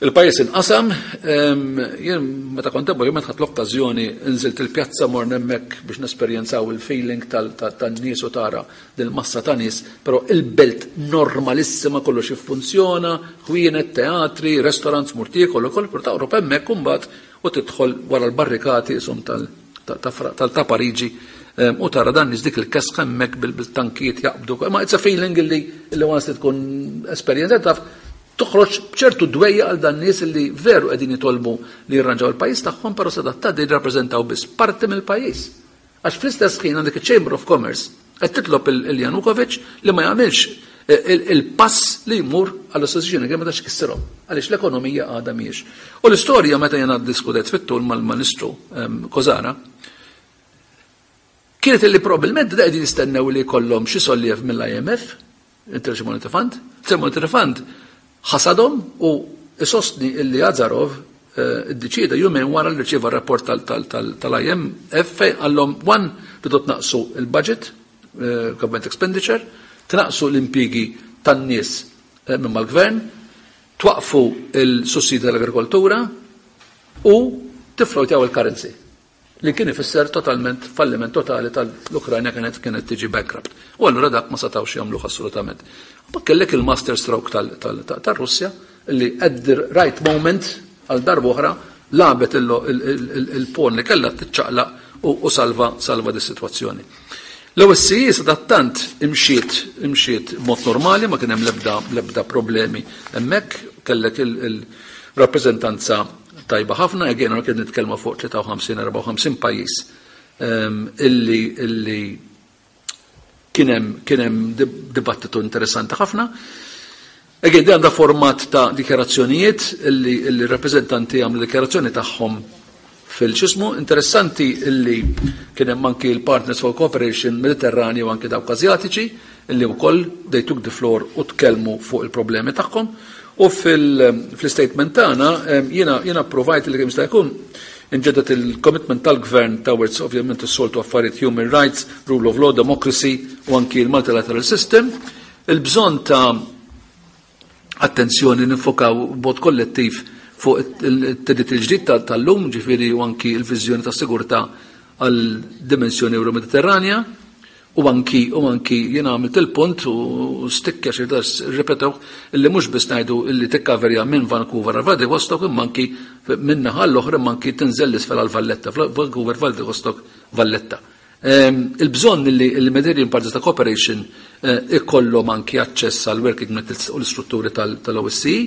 Il-pajjiż inqasam, jien meta kont hemm ovvjament ħadt l-okkażjoni nżilt il-pjazza morna hemmhekk biex nesperjenzaw il-feeling tan-nies u tara dil-massa ta' nies, però il-belt normalissima, kollox jiffunzjona, ħwienet, teatri, restaurants, mur tiekol ukoll, però toqrob hemmhekk imbagħad u tidħol wara l-barrikati qishom tal ta' Pariġi u tara dan nies dik il-kesħa hemmhekk bil-tankijiet jaqbdu. Ma it's a feeling illi once li tkun esperjenzat taf toħroġ b'ċertu dwejja għal dan nies li veru qegħdin jitolbu li jirranġaw il-pajjiż tagħhom, però sadattant jirrappreżentaw biss parti mill-pajjiż. Għax fl-istess ħin għandek il-Chamber of Commerce qed titlob il-Janukovic li ma jagħmilx il-pass li jmur għall-Association Agreement għax kisserhom, għaliex l-ekonomija għadha mhijiex. U l-istorja meta jiena ddiskutet fit-tul mal-Ministru Kozara kienet li probabbilment da qegħdin jistennew li jkollhom xi solliev mill-IMF, International Monetary Fund, International Monetary Fund ħasadhom u isostni illi Azarov iddeċieda jumejn wara li rċieva r-rapport tal-IMF fejn qallhom one tridu tnaqqsu il-budget, government expenditure, tnaqqsu l-impjiegi tan-nies minn mal-gvern, twaqqfu l-sussidi tal-agrikoltura u tiflowtjaw il-currency. Li kien ifisser totalment falliment totali tal-Ukrajna, kienet kienet tiġi bankrupt. U allura dak ma setgħux jagħmluh assolutament. Ma kellek il-master stroke tal-Russja li at the right moment għal darba oħra lagħbet il-pawn li kellha tiċċaqlaq u salva salva dis-sitwazzjoni. L-OSCE sadattant imxiet imxiet mod normali, ma kien hemm l-ebda l-ebda problemi hemmhekk, kellek il-rappreżentanza tajba ħafna, again kien nitkellmu fuq 53-54 pajjiż illi illi kien hemm kien hemm dibattitu interessanti ħafna. Again, di għandha format ta' dikjarazzjonijiet illi illi rappreżentanti għamlu dikjarazzjoni tagħhom fil-ċismu. Interessanti illi kien hemm anki l-Partners for Cooperation Mediterranju u anki dawk Azjatiċi illi wkoll they took the floor u tkellmu fuq il-problemi tagħhom. U fil-statement tagħna jiena jiena provajt li kemm jista' jkun inġeddet il-commitment tal-gvern towards ovvjament is-soltu affarijiet, human rights, rule of law, democracy u anki l-multilateral system, il-bżonn ta' attenzjoni nifokaw b'mod kollettiv fuq it-theddid il-ġdid tal-lum, ġifieri u anki l-viżjoni ta' sigurtà għal dimensjoni Euro-Mediterranja, u anki u anki jiena għamilt il-punt u stikka xi ripetew illi mhux biss ngħidu illi tikkaverja minn Vancouver għal Vladivostok, imma anki minn naħa l-oħra, imma anki tinżel l-isfel għal Valletta, Vancouver, Vladivostok, Valletta. Il-bżonn li il-Mediterranean Partners ta' Cooperation ikollhom anki aċċess għal working methods u l-istrutturi tal-OSCE.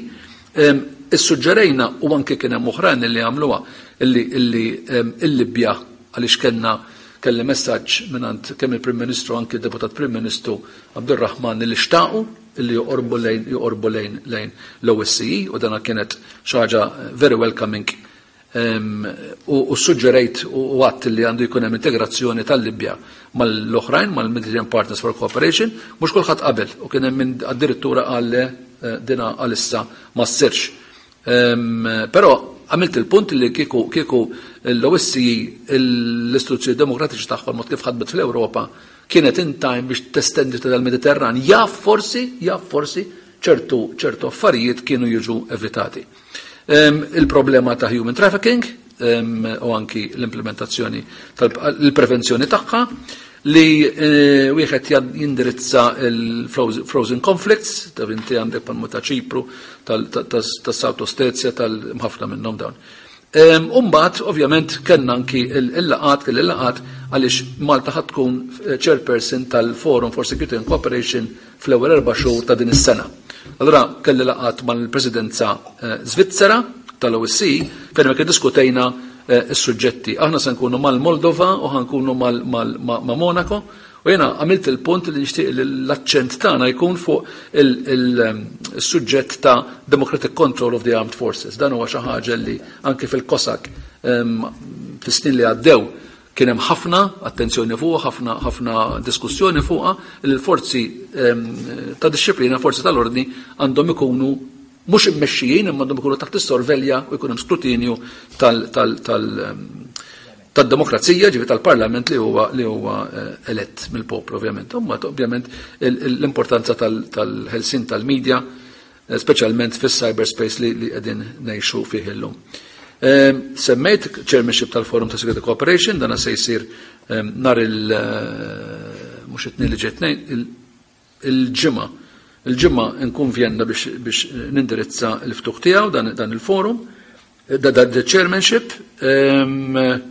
Issuġġerejna, u anki kien hemm oħrajn li għamluha, illi il-Libja, għaliex kellna kelli messaġġ mingħand kemm il-Prim Ministru, anki d-Deputat Prim Ministru Abdurrahman, li xtaqu illi joqorbu lejn joqorbu lejn lejn l-OSCE u dana kienet xi ħaġa very welcoming. U suġġerejt u għadt li għandu jkun hemm integrazzjoni tal-Libja mal-oħrajn, mal-Mediterranean Partners for Cooperation, mhux kulħadd qabel u kien hemm min addirittura qal le dina għalissa ma ssirx. Però għamilt il-punt li kieku kieku l-OSCE l-istituzzjoni demokratiċi tagħhom mod kif ħadmet fl-Ewropa kienet in time biex testendi tal-Mediterran, jaf forsi, jaf forsi ċertu ċertu affarijiet kienu jiġu evitati. Il-problema ta' human trafficking u anki l-implementazzjoni tal-prevenzjoni tagħha li eh, wieħed jindirizza il-frozen conflicts, ta' inti għandek palmu ta' Ċipru, tas-South Ossetia, tal-ħafna minnhom dawn. Umbat, ovvjament, kellna anki il-laqat, kelli laqat għaliex Malta ħad tkun eh, chairperson tal-Forum for Security and Cooperation fl-ewwel erba' xhur ta' din is-sena. Allura kelli laqgħat mal-Presidenza eh, Svizzera tal-OSCE fejn hemmhekk iddiskutejna eh, s-suġġetti. Aħna se nkunu mal-Moldova u ħankunu ma' Monaco u jiena għamilt il-punt li nixtieq li l-aċċent tagħna jkun fuq il-suġġett ta' Democratic Control of the Armed Forces. Dan huwa xi ħaġa li anke fil-COSAC ehm, fis-snin li għaddew Kien hemm ħafna attenzjoni fuqha, ħafna ħafna diskussjoni fuqha li l-forzi ehm, ta' dixxiplina, forzi tal-ordni għandhom ikunu mhux immexxijin imma għandhom ikunu taħt is-sorvelja u jkun hemm skrutinju tal, tal, tal, ehm, tad-demokrazija, ġifi tal-parlament li huwa li huwa eh, elett mill-poplu ovvjament. Imma ovvjament l-importanza tal-ħelsin tal-medja speċjalment fis-cyberspace li li qegħdin ngħixu fih illum. Ehm, semmejt chairmanship tal-Forum ta' Security Cooperation, dana se jsir ehm, nar il- eh, mhux it-tnejn li ġej tnejn, il-ġimgħa. Il-ġimgħa nkun Vjenna biex nindirizza l-ftuħ tiegħu dan il-forum. Da chairmanship, ehm,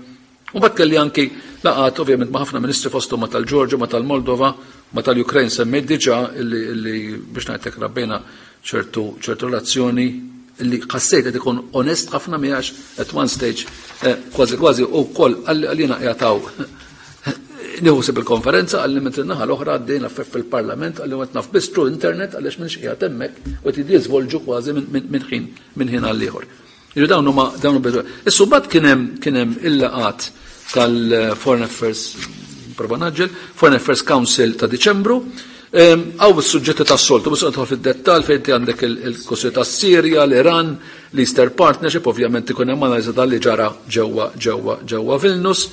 u bat kelli anki laqat ovvjament ma' ħafna ministri fosthom ma' tal-Ġorġa, ma' tal-Moldova, ma' tal-Ukraine semmejt diġà illi biex ngħidlek rabbejna ċertu ċertu relazzjoni illi ħassejt qed ikun onest ħafna miegħax at one stage eh, kważi kważi u wkoll għalina jagħtaw nieħu sib il-konferenza għalli minn naħa l-oħra għaddejna fil-parlament għalli għet naf biss internet għaliex minn xqiegħed hemmhekk u qed jiżvolġu kważi minn ħin minn ħin għal ieħor. Jiġu dawn huma dawn huma Issu mbagħad kien hemm kien hemm il-laqat tal-Foreign Affairs prova naġġel, Foreign Affairs Council ta' Diċembru, Għaw il-sujġetti ta' soltu, bus nidħol fid-dettal fejn ti għandek il-kwestjoni ta' Sirja, l-Iran, l-Easter Partnership, ovvjament ikun hemm analiżi tal li ġara ġewwa ġewwa ġewwa Vilnius,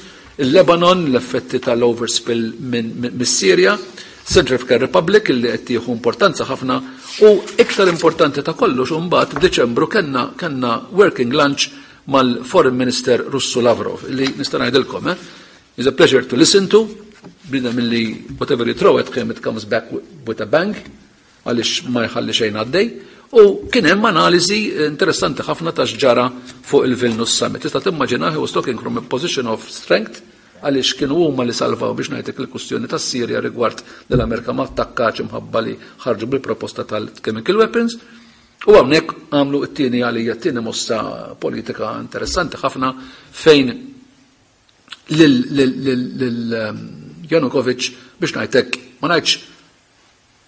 il-Lebanon, l-effetti tal-overspill mis-Sirja, Central African Republic illi qed tieħu importanza ħafna u iktar importanti ta' kollox imbagħad f'Diċembru kellna kellna working lunch mal-Foreign Minister Russu Lavrov illi nista' ngħidilkom eh, is a pleasure to listen to bniedem illi whatever you throw at him it comes back with a bang għaliex ma jħalli xejn għaddej u kien hemm analiżi interessanti ħafna ta' x'ġara fuq il-Vilnius Summit. Tista' timmaġina he was talking from a position of strength għaliex kienu huma li salvaw biex ngħidlek il-kwistjoni tas-Sirja rigward li l-Amerika ma attakkax imħabba li ħarġu bil-proposta tal-chemical weapons. U hawnhekk għamlu t-tieni għalija t-tieni mossa politika interessanti ħafna fejn lil ehm, Janukovic biex ngħidlek ma ngħidx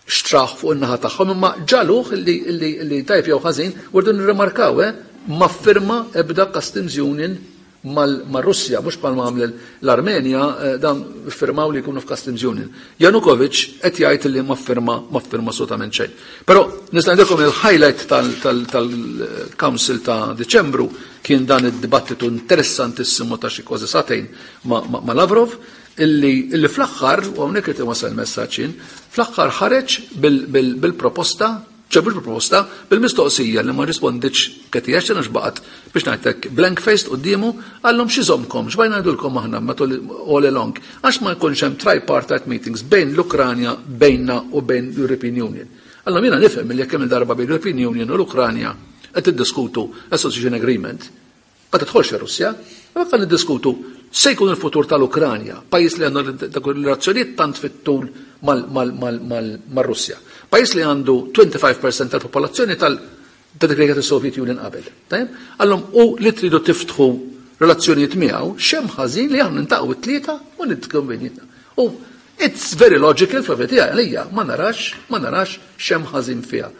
xtrah fuq in-naħa tagħhom imma ġaluh li tajb jew ħażin u rridu nirrimarkaw eh, ma ffirma ebda customs union mar-Russja, mhux bħalma għamel l-Armenja eh, dan firmaw li jkunu f'customs union. Janukovic qed jgħid li ma firma ma firma assolutament xejn. Però nista' ngħidilkom il-highlight tal-Council ta' Diċembru kien dan id-dibattitu interessantissimu ta' xi kważi sagħtejn ma' Lavrov illi, illi fl-aħħar, u hawnhekk irid inwassal il-messaġġ jien, fl-aħħar ħareġ bil-proposta, ċe mhux bil-proposta, bil-mistoqsija li ma rrispondietx Cathy Ashton għax baqgħet biex ngħidlek blank faced quddiemu, qallhom x'iżommkom, x'bajna ngħidulkom aħna matul all along, għax ma jkunx hemm tripartite meetings bejn l-Ukranja, bejnna u bejn l-European Union. Allora jiena nifhem li jekk hemm il-darba bejn l-European Union u l-Ukranja qed tiddiskutu Association Agreement, Ma tidħolx ir-Russja, imma kan niddiskutu se jkun il-futur tal-Ukranja, pajjiż li għandu dak relazzjonijiet tant fit-tul mar-Russja. Pajjiż li għandu 25% tal-popolazzjoni tal ta' dik li kienet is-Soviet Union qabel. Tajjeb? Għallhom u li tridu tiftħu relazzjonijiet miegħu, x'hemm ħażin li aħna nintaqgħu it-tlieta u nitkellmu bejnietna. U it's very logical fl tiegħi għalija ma narax, ma narax x'hemm ħażin fiha.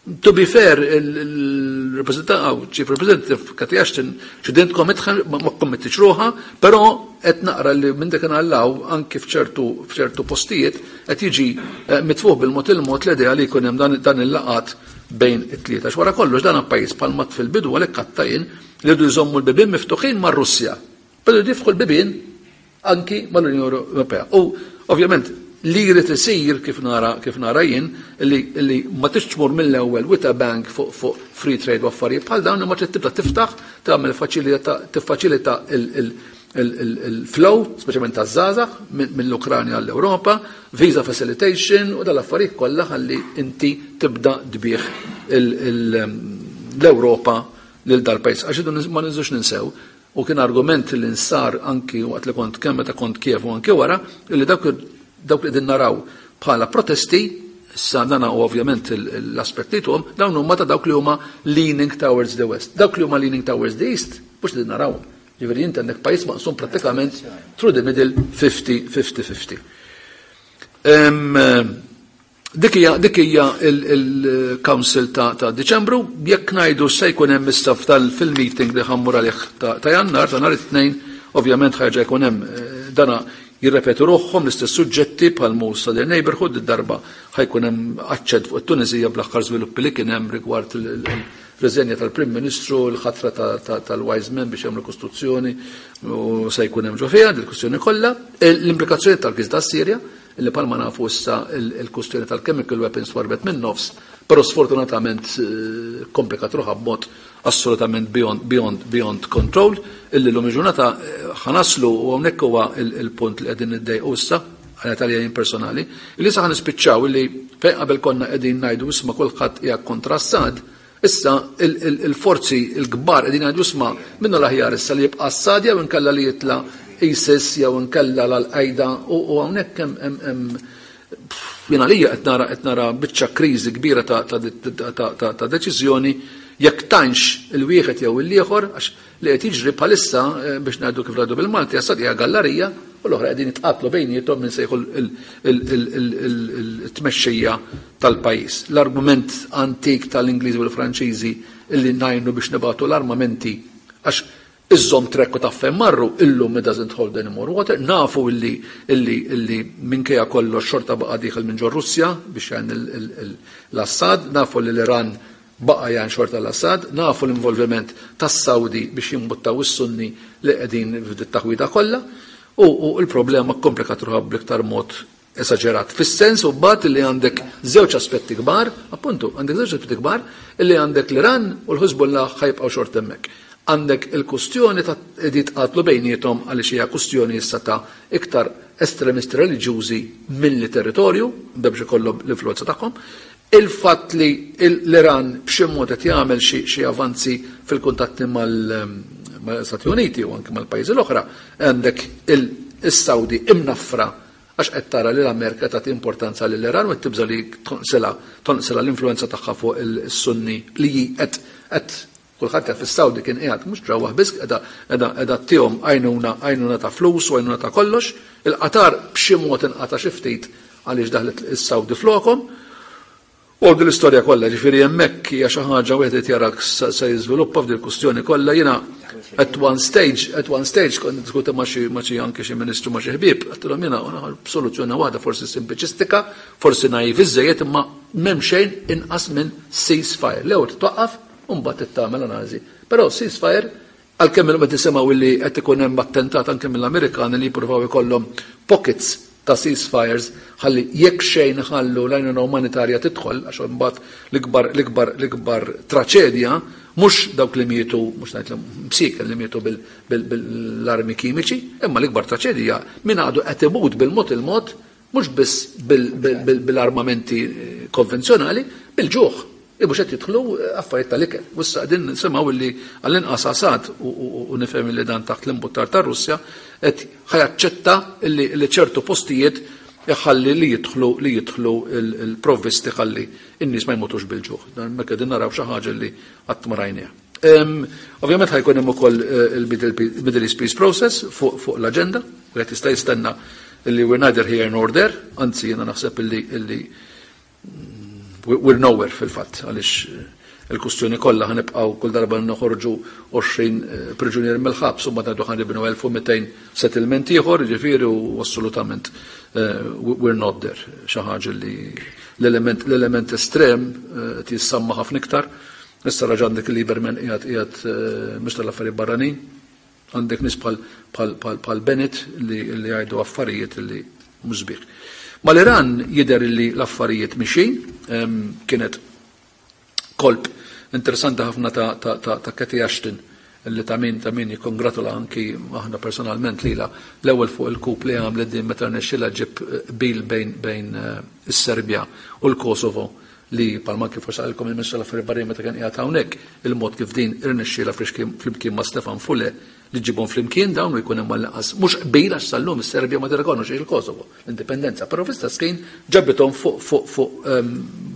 To be fair, il-reprezentant, chief representative Cathy Ashton, she didn't commit, ma committix ruħha, però qed naqra li minn dak hawn anki f'ċertu postijiet qed jiġi mitfuħ bil-mod il-mod l-idea li jkun hemm dan il-laqat bejn it-tlieta. Wara kollox dan pajjiż bħalma fil-bidu għalhekk għattajn li jridu jżommu l-bibien miftuħin mar-Russja. Però jiftħu l-bibien anki mal-Unjoni Ewropea. U ovvjament li jrid isir kif nara jien li ma tix tmur mill-ewwel with a bang fuq free trade u affarijiet bħal dawn, imma trid tibda tiftaħ, tagħmel tiffaċilita il-flow, speċjalment taż-żgħażagħ mill-Ukranja għall-Ewropa, visa facilitation u dal-affarijiet kollha ħalli inti tibda tbigħ l-Ewropa lil dal-pajjiż. Għax ma nizux ninsew u kien argument li nsar anki waqt li kont kemm meta kont Kiev u anki wara li dawk li din naraw bħala protesti issa dana u ovvjament l-aspetti tuhom dawn huma ta' dawk li huma leaning towards the west. Dawk li huma leaning towards the east mhux li narawhom. Ġifieri inti għandek pajjiż maqsum prattikament through the middle 50-50-50. Dik hija il-Council ta' Diċembru, jekk ngħidu se jkun hemm issa fil-meeting li ħa mmur għalih ta' Jannar, ta' nhar it-Tnejn, ovvjament ħaġa jkun hemm dana jirrepetu ruħhom l-istess suġġetti bħal Southern Neighborhood, id-darba ħa jkun hemm aċċent fuq it-Tunisija bl-aħħar żviluppi li kien hemm rigward il-reżenja tal-Prim Ministru, l-ħatra tal-Wise Men biex jagħmlu kostituzzjoni u se jkun hemm ġo fiha dil-kwistjoni kollha, l-implikazzjoni tal-kriżi tas-Sirja, illi bħalma nafu issa il-kustjoni tal-chemical weapons warbet minn nofs, però sfortunatament komplikat ruħha b'mod assolutament beyond, beyond, beyond control, illi l-lum il-ġurnata ħa naslu u hawnhekk huwa il-punt li qegħdin niddejqu issa, għana tal personali, illi sa ħa nispiċċaw illi fejn qabel konna qegħdin ngħidu isma' kulħadd hija kontra Assad, issa il-forzi il-kbar qegħdin ngħidu isma' minnu l-aħjar issa li jibqa' Assad jew inkella li jitla' ISIS jew inkella l-Al-Qaeda u hawnhekk hemm jiena lija qed nara biċċa kriżi kbira ta' deċiżjoni jekk tantx il-wieħed jew il-ieħor, għax li qed jiġri bħalissa, biex ngħidu kif ngħidu bil-Malti, Assad hija gallarija u l-oħra qegħdin jitqatlu bejniethom minn sejħu il-tmexxija tal-pajjiż. L-argument antik tal-Ingliżi u l-Franċiżi illi ngħinu biex nibagħtu l-armamenti għax iżżomm track u taf fejn marru, illum it doesn't hold any more water. Nafu illi minkejja kollox xorta baqa' dieħel minn ġo Russja biex jgħin l-Assad, nafu li l-Iran baqa' jgħin xorta l-Assad, nafu l-involviment tas-Saudi biex jimbuttaw is-Sunni li qegħdin f'dit taħwida kollha, u l-problema komplikat ruħha bl-iktar mod esaġerat. Fis-sens u bat li għandek żewġ aspetti kbar, appuntu, għandek żewġ aspetti kbar, illi għandek l-Iran u l-Hezbollah ħa jibqgħu xorta hemmhekk. Għandek il-kustjoni ta' jitqatlu bejniethom għaliex hija kustjoni issa ta' iktar estremisti reliġjużi milli territorju, biex ikollhom l-influenza tagħhom. Il-fatt li l-Iran b'xi mod qed jagħmel xi avanzi fil-kuntatti mal-Stati Uniti u anke mal-pajjiżi l-oħra, għandek il-Saudi imnaffra għax qed tara li l-Amerika tagħti importanza lill-Iran u qed tibża li tonqsilha l-influenza tagħha fuq il-Sunni li qed kulħadd jaf fis-Saudi kien qiegħed mhux ġewwa biss qiegħda ttihom għajnuna ta' flus u għajnuna ta' kollox. Il-Qatar b'xi mod inqata' xi ftit għaliex daħlet is-Saudi flokhom. U din l-istorja kollha, ġifieri hemmhekk hija xi ħaġa wieħed qed jarak se jiżviluppa f'dil kustjoni kollha. Jiena at one stage kont diskuta ma' xi anke xi ministru, ma' xi ħbieb, għedtilhom jiena soluzzjoni waħda, forsi simpliċistika, forsi naiv iżejjed, imma m'hemm xejn inqas minn ceasefire. L-ewwel titwaqqaf u mbagħad tagħmel analiżi. Però ceasefire, għalkemm il qed nisimgħu li qed ikun hemm attentat anke mill-Amerikani li jippruvaw ikollhom pockets ta' ceasefires ħalli jekk xejn ħallu l-għajnuna umanitarja tidħol, għax imbagħad l-ikbar traċedja mhux dawk li mietu, mhux ngħid msieken li mietu bil-armi kimiċi, imma l-ikbar traċedja min għadu qed imut bil-mod il-mod, mhux biss bil-armamenti konvenzjonali, bil-ġuħ. Ibu qed jidħlu affarijiet tal-ikel. U issa qegħdin nisimgħu illi għall-inqas Assad, u nifhem li dan taħt l-imbuttar tar-Russja, qed ħa jaċċetta illi ċertu postijiet iħalli li jidħlu il-provvisti ħalli in-nies ma jmutux bil-ġuħ. Dan mekk qegħdin naraw xi ħaġa li qatt ma rajniha. Ovvjament ħa jkun hemm ukoll il-Middle East Peace Process fuq l-aġenda, u qed jista' jistenna illi we're neither here nor there, anzi jiena naħseb illi We're nowhere fil-fatt għaliex il-kustjoni kollha ħa nibqgħu kull darba noħorġu 20 priġunier mill-ħabs u mbagħad ngħidu ħa nibnu 1200 settlement ieħor, jiġifieri u assolutament we're not there. Xi ħaġa li l-element l-element estrem qed jissamma ħafna iktar. Issa raġa' għandek il-Lieberman qiegħed qiegħed Ministru tal-Affarijiet Barranin. Għandek nies bħal bħal bħal bħal Bennett li li jgħidu affarijiet li mhux sbieħ. Mal-Iran jidher li l-affarijiet mixin, kienet kolp interessanti ħafna ta' ta' ta' ta' Cathy Ashton li ta' min ta' min jikkongratula anki aħna personalment lilha l-ewwel fuq il-coup li għamlet din meta rnexxielha ġib qbil bejn bejn is-Serbja u l-Kosovo li bħalma anki forsi qalilkom il-Ministru tal-Affarijiet Barranin meta kien qiegħed hawnhekk, il-mod kif din irnexxielha flimkien ma' Stefan Fule li ġġibhom flimkien dawn u jkun hemm għall-inqas mhux qbil għax sal-lum is-Serbja ma tirrikonoxxix il-Kosovo, l-indipendenza, però fl-istess ħin ġabithom fuq fuq fuq ehm,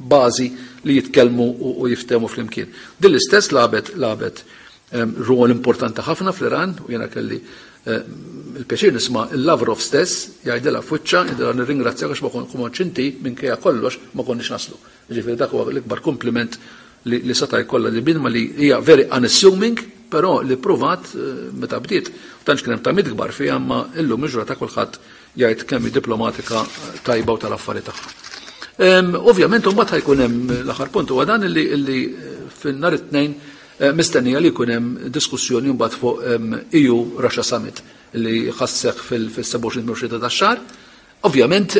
bażi li jitkellmu u jiftehmu flimkien. Din l-istess lagħbet lagħbet ehm, rwol importanti ħafna fl-Iran u jiena kelli Il-pjaċir nisma' il-Lavrov stess jgħidilha f'wiċċha, jgħidilha nirringrazzjak għax ma kontx inti minkejja kollox ma konniex naslu. Jiġifieri dak huwa l-ikbar kumpliment li seta' jkollha li bniedma li hija very unassuming, però li ppruvat meta bdiet, tantx kien hemm tamiet kbar fiha imma illum il-ġurnata kulħadd jgħid kemm hi diplomatika tajba u tal-affari tagħha. Ovvjament imbagħad ħajkun hemm l-aħħar punt huwa dan illi fin-nhar it-Tnejn Mistennija li jkun hemm diskussjoni mbagħad fuq EU Russia Summit li ħa sseħħ fil-27 tax-xahar. Ovvjament,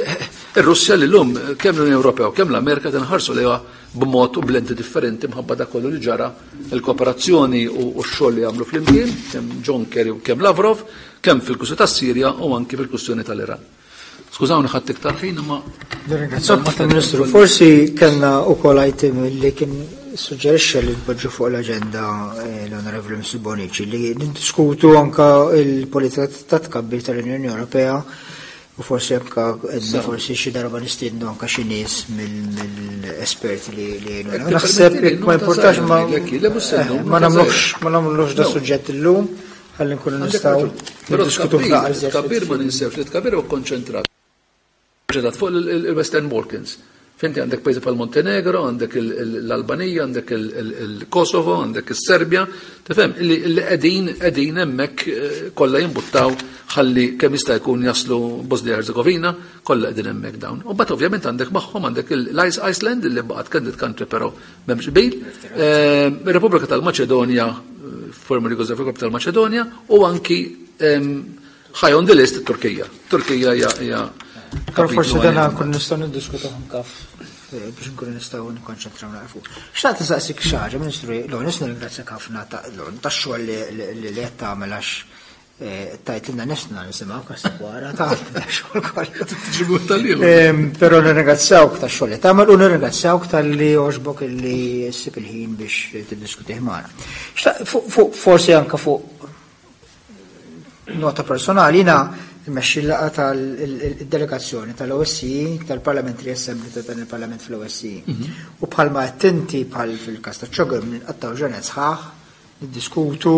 ir-Russja li llum kemm l-Unjoni Ewropea u kemm l-Amerika tinħarsu lejha b'mod u b'lenti differenti mħabba dak kollu li ġara il-kooperazzjoni u x-xogħol li għamlu flimkien, kemm John Kerry u kemm Lavrov, kemm fil-kwistjoni tas-Sirja u anki fil-kwistjoni tal-Iran. Skużawni ħadd iktar ħin imma. Nirringrazzjak Martin Ministru. Forsi kellna wkoll item li kien suġġerixxa li tpoġġu fuq l-aġenda eh, l-Onorevoli Mr. Bonici li niddiskutu anka il-politika ta' tkabbir tal-Unjoni Ewropea u forsi anka edna forsi xi darba nistiednu anka xi nies mill-esperti li jgħinu. Naħseb ma importax ma eh, ma nagħmlux ma nagħmlux da suġġett illum. Ħalli nkunu nistgħu niddiskutu f'naqra. Tkabbir ma ninsewx li tkabbir huwa konċentrat fuq il-Western Balkans. Finti għandek pajjiżi bħal Montenegro, għandek l-Albanija, għandek il-Kosovo, għandek is-Serbja, tifhem li qegħdin qegħdin hemmhekk eh, kollha jimbuttaw ħalli kemm jista' jkun jaslu Bosnia Herzegovina, kollha qegħdin hemmhekk dawn. U bat ovvjament għandek magħhom għandek l-Iceland li baqgħet candidate country però M'hemmx qbil. Ehm, Repubblika tal-Maċedonja, eh, former Jugoslavia tal-Maċedonja, u anki ehm, high on the list Turkija. Turkija hija Però forsi dan nkun nistgħu niddiskutu anke eh, biex nkunu nistgħu nikkonċentraw naqra fuq. Xtaqt nistaqsik xi ħaġa, Ministru, l-ewwel nirringrazzjak ħafna tax-xogħol li qed tagħmel għax Eh, tajt l nifsna nisimaw kasta wara ta' xogħol kollu. Però nirringrazzjawk ta' xogħol li tagħmel u nirringrazzjawk tal-li għoġbok illi ssib il-ħin biex tiddiskutih magħna. Forsi anke fuq nota personali jiena mmexxi l-laqgħa tal-delegazzjoni tal-OSCE tal-Parliamentary Assembly ta' dan il-Parlament fl-OSCE. Mhm. U bħalma qed inti bħal fil-każ ta' ċogem nqattaw ġranet sħaħ niddiskutu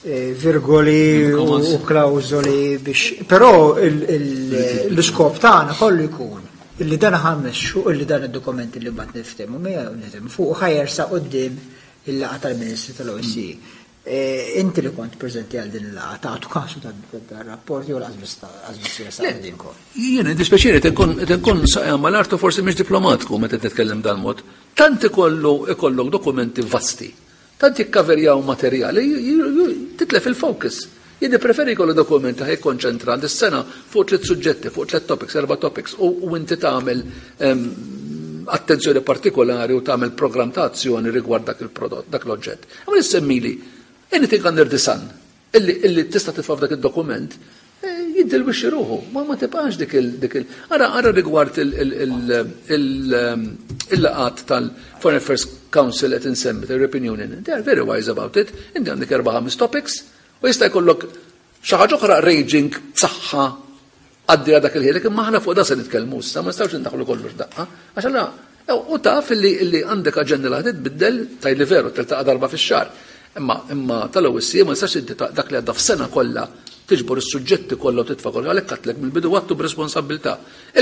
eh, virgoli u klawżoli biex. Però l-iskop tagħna kollu jkun illi dan ħammexxu illi dan id-dokumenti li mbagħad niftehmu miegħu niftehmu fuq ħajersa qudiem il-laqgħa tal-Ministri tal-OSCE. Eh, inti li kont preżenti għal din il-laqgħa tagħtu kasu tar-rapport jew laqas biss jersaq qudiemkom. Jiena dispjaċiri tinkun saqja mal-artu forsi mhix diplomatiku meta titkellem dal-mod. Tant ikollu ikollok dokumenti vasti Tant jikkaverjaw materjal, titlef il-focus. Jien nippreferi jkollu dokument li ħa jikkonċentra dis-sena fuq tliet suġġetti, fuq tliet topics, erba' topics, u inti tagħmel attenzjoni partikolari u tagħmel programm ta' azzjoni rigward dak il-prodott, dak l-oġġett. Imma issemmili anything under the sun illi illi tista' titfa' f'dak id-dokument eh, jiddilwixxi ruħu, ma ma tibqax dik il dik il ara ara rigward il-laqat tal-Foreign Affairs Council qed insemmi tal-European Union. They are very wise about it. Inti għandek erba' ħames topics u jista' jkollok xi ħaġa oħra raging b'saħħa Għaddejja dak il-ħin, imma aħna fuq da se nitkellmu issa, ma nistgħux indaħħlu kollox daqqa. Għax allura u taf illi illi għandek aġenda li ħad tbiddel tgħid li veru tiltaqa' darba fix-xahar. Imma imma tal-OSCE ma nistax inti dak li għadda f'sena kollha Tiġbor is-suġġetti kollha u titfa' kollox, għalhekk għedtlek mill-bidu għadtu b'responsabbiltà.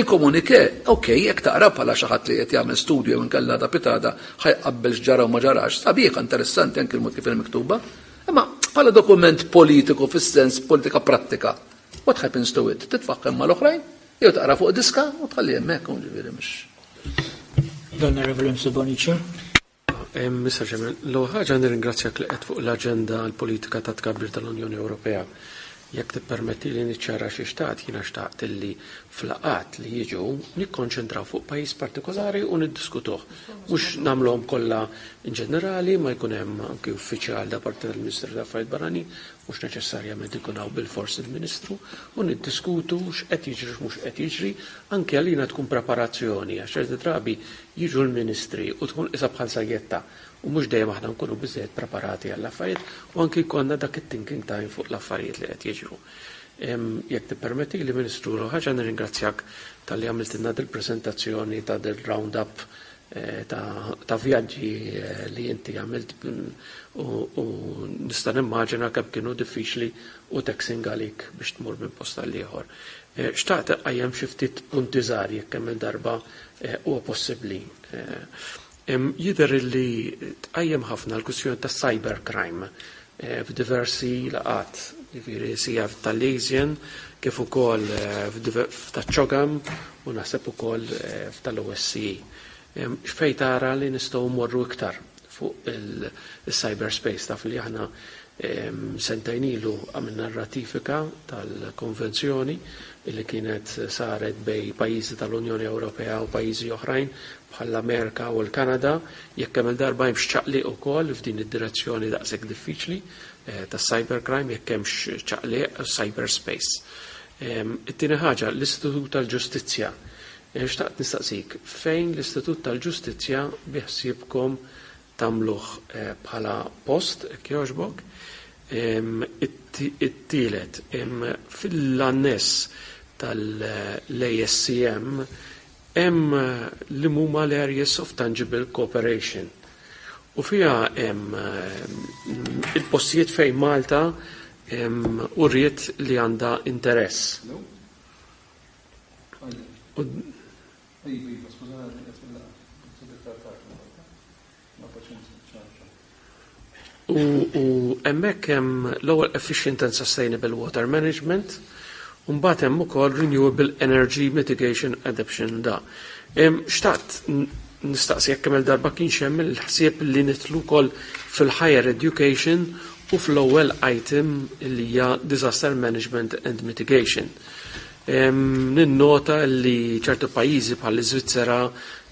Il-communiqué, ok, jekk taqra bħala xi ħadd li qed jagħmel studju jew inkella għada pitgħada ħa jqabbel x'ġara u ma ġarax, sabiħa, interessanti anki l-mod kif inhi miktuba. Imma bħala dokument politiku fis-sens politika prattika, what happens to it? Titfagħha hemm mal-oħrajn jew taqra fuq diska u tħalli hemmhekk, ġifieri mhux. L-Onorevoli Mifsud Bonnici. Mr. Chairman, l-ewwel ħaġa nirringrazzjak li qed fuq l-aġenda l-politika ta' tkabbir tal-Unjoni Ewropea. Jekk tippermetti li niċċara xi xtaqt, jiena xtaqt illi f'laqgħat li jiġu nikkonċentraw fuq pajjiż partikolari u niddiskutuh. Mhux nagħmluhom kollha in ġenerali, ma jkun hemm anki uffiċjal da parti tal-Ministeru tal-Affarijiet Barranin, mhux neċessarjament ikun hawn bilfors il-Ministru, u niddiskutu x'qed jiġri x'mhux qed jiġri, anke għalina tkun preparazzjoni, għax ċerti drabi jiġu l-ministri u tkun qisha bħal sajjetta u mhux dejjem aħna nkunu biżżejjed preparati għall-affarijiet u anki jkollna dak it-thinking time fuq l-affarijiet li qed jiġru. Jekk tippermetti li, Ministru, ħaġa nirringrazzjak talli għamiltilna dil-preżentazzjoni ta' dil-round-up ta' vjaġġi li inti għamilt u nista' nimmaġina kemm kienu diffiċli u taxing għalik biex tmur minn post għal ieħor. Xtaqt qajjem xi ftit punti żgħar jekk kemm il-darba huwa possibbli. Jidher li tqajjem ħafna l-kwistjoni ta' cybercrime f'diversi laqgħat, jiġifieri sija tal-ASEAN kif ukoll f'taċ-CHOGM u naħseb ukoll f'tal-OSCE. X'fejn tara li nistgħu mmorru iktar fuq il-cyberspace? Taf li aħna sentejn ilu għamilna ratifika tal-konvenzjoni li kienet saret bejn pajjiżi tal-Unjoni Ewropea u pajjiżi oħrajn bħall-Amerika u l-Kanada, jekk kemm il-darba hemmx ċaqliq ukoll f'din id-direzzjoni daqshekk diffiċli tas-cybercrime, jekk hemmx ċaqliq cyberspace. It-tieni ħaġa, l-Istitut tal-Ġustizzja. Xtaqt nistaqsik, fejn l-Istitut tal-Ġustizzja biħsiebkom tagħmluh bħala post, jekk jogħġbok? It-tielet, fil-annes tal-ASCM hemm li huma l-areas of tangible cooperation. U fiha hemm il-postijiet fejn Malta uriet li għandha interess. Iva, skużani, U hemmhekk hemm l-ewwel efficient and sustainable water management, u mbagħad hemm ukoll renewable energy mitigation adaptation da. Xtaqt nistaqsi jekk kemm il-darba kienx hemm il-ħsieb li nidħlu wkoll fil-higher education u fl-ewwel item li hija disaster management and mitigation. Ninnota li ċertu pajjiżi bħal iżvizzera,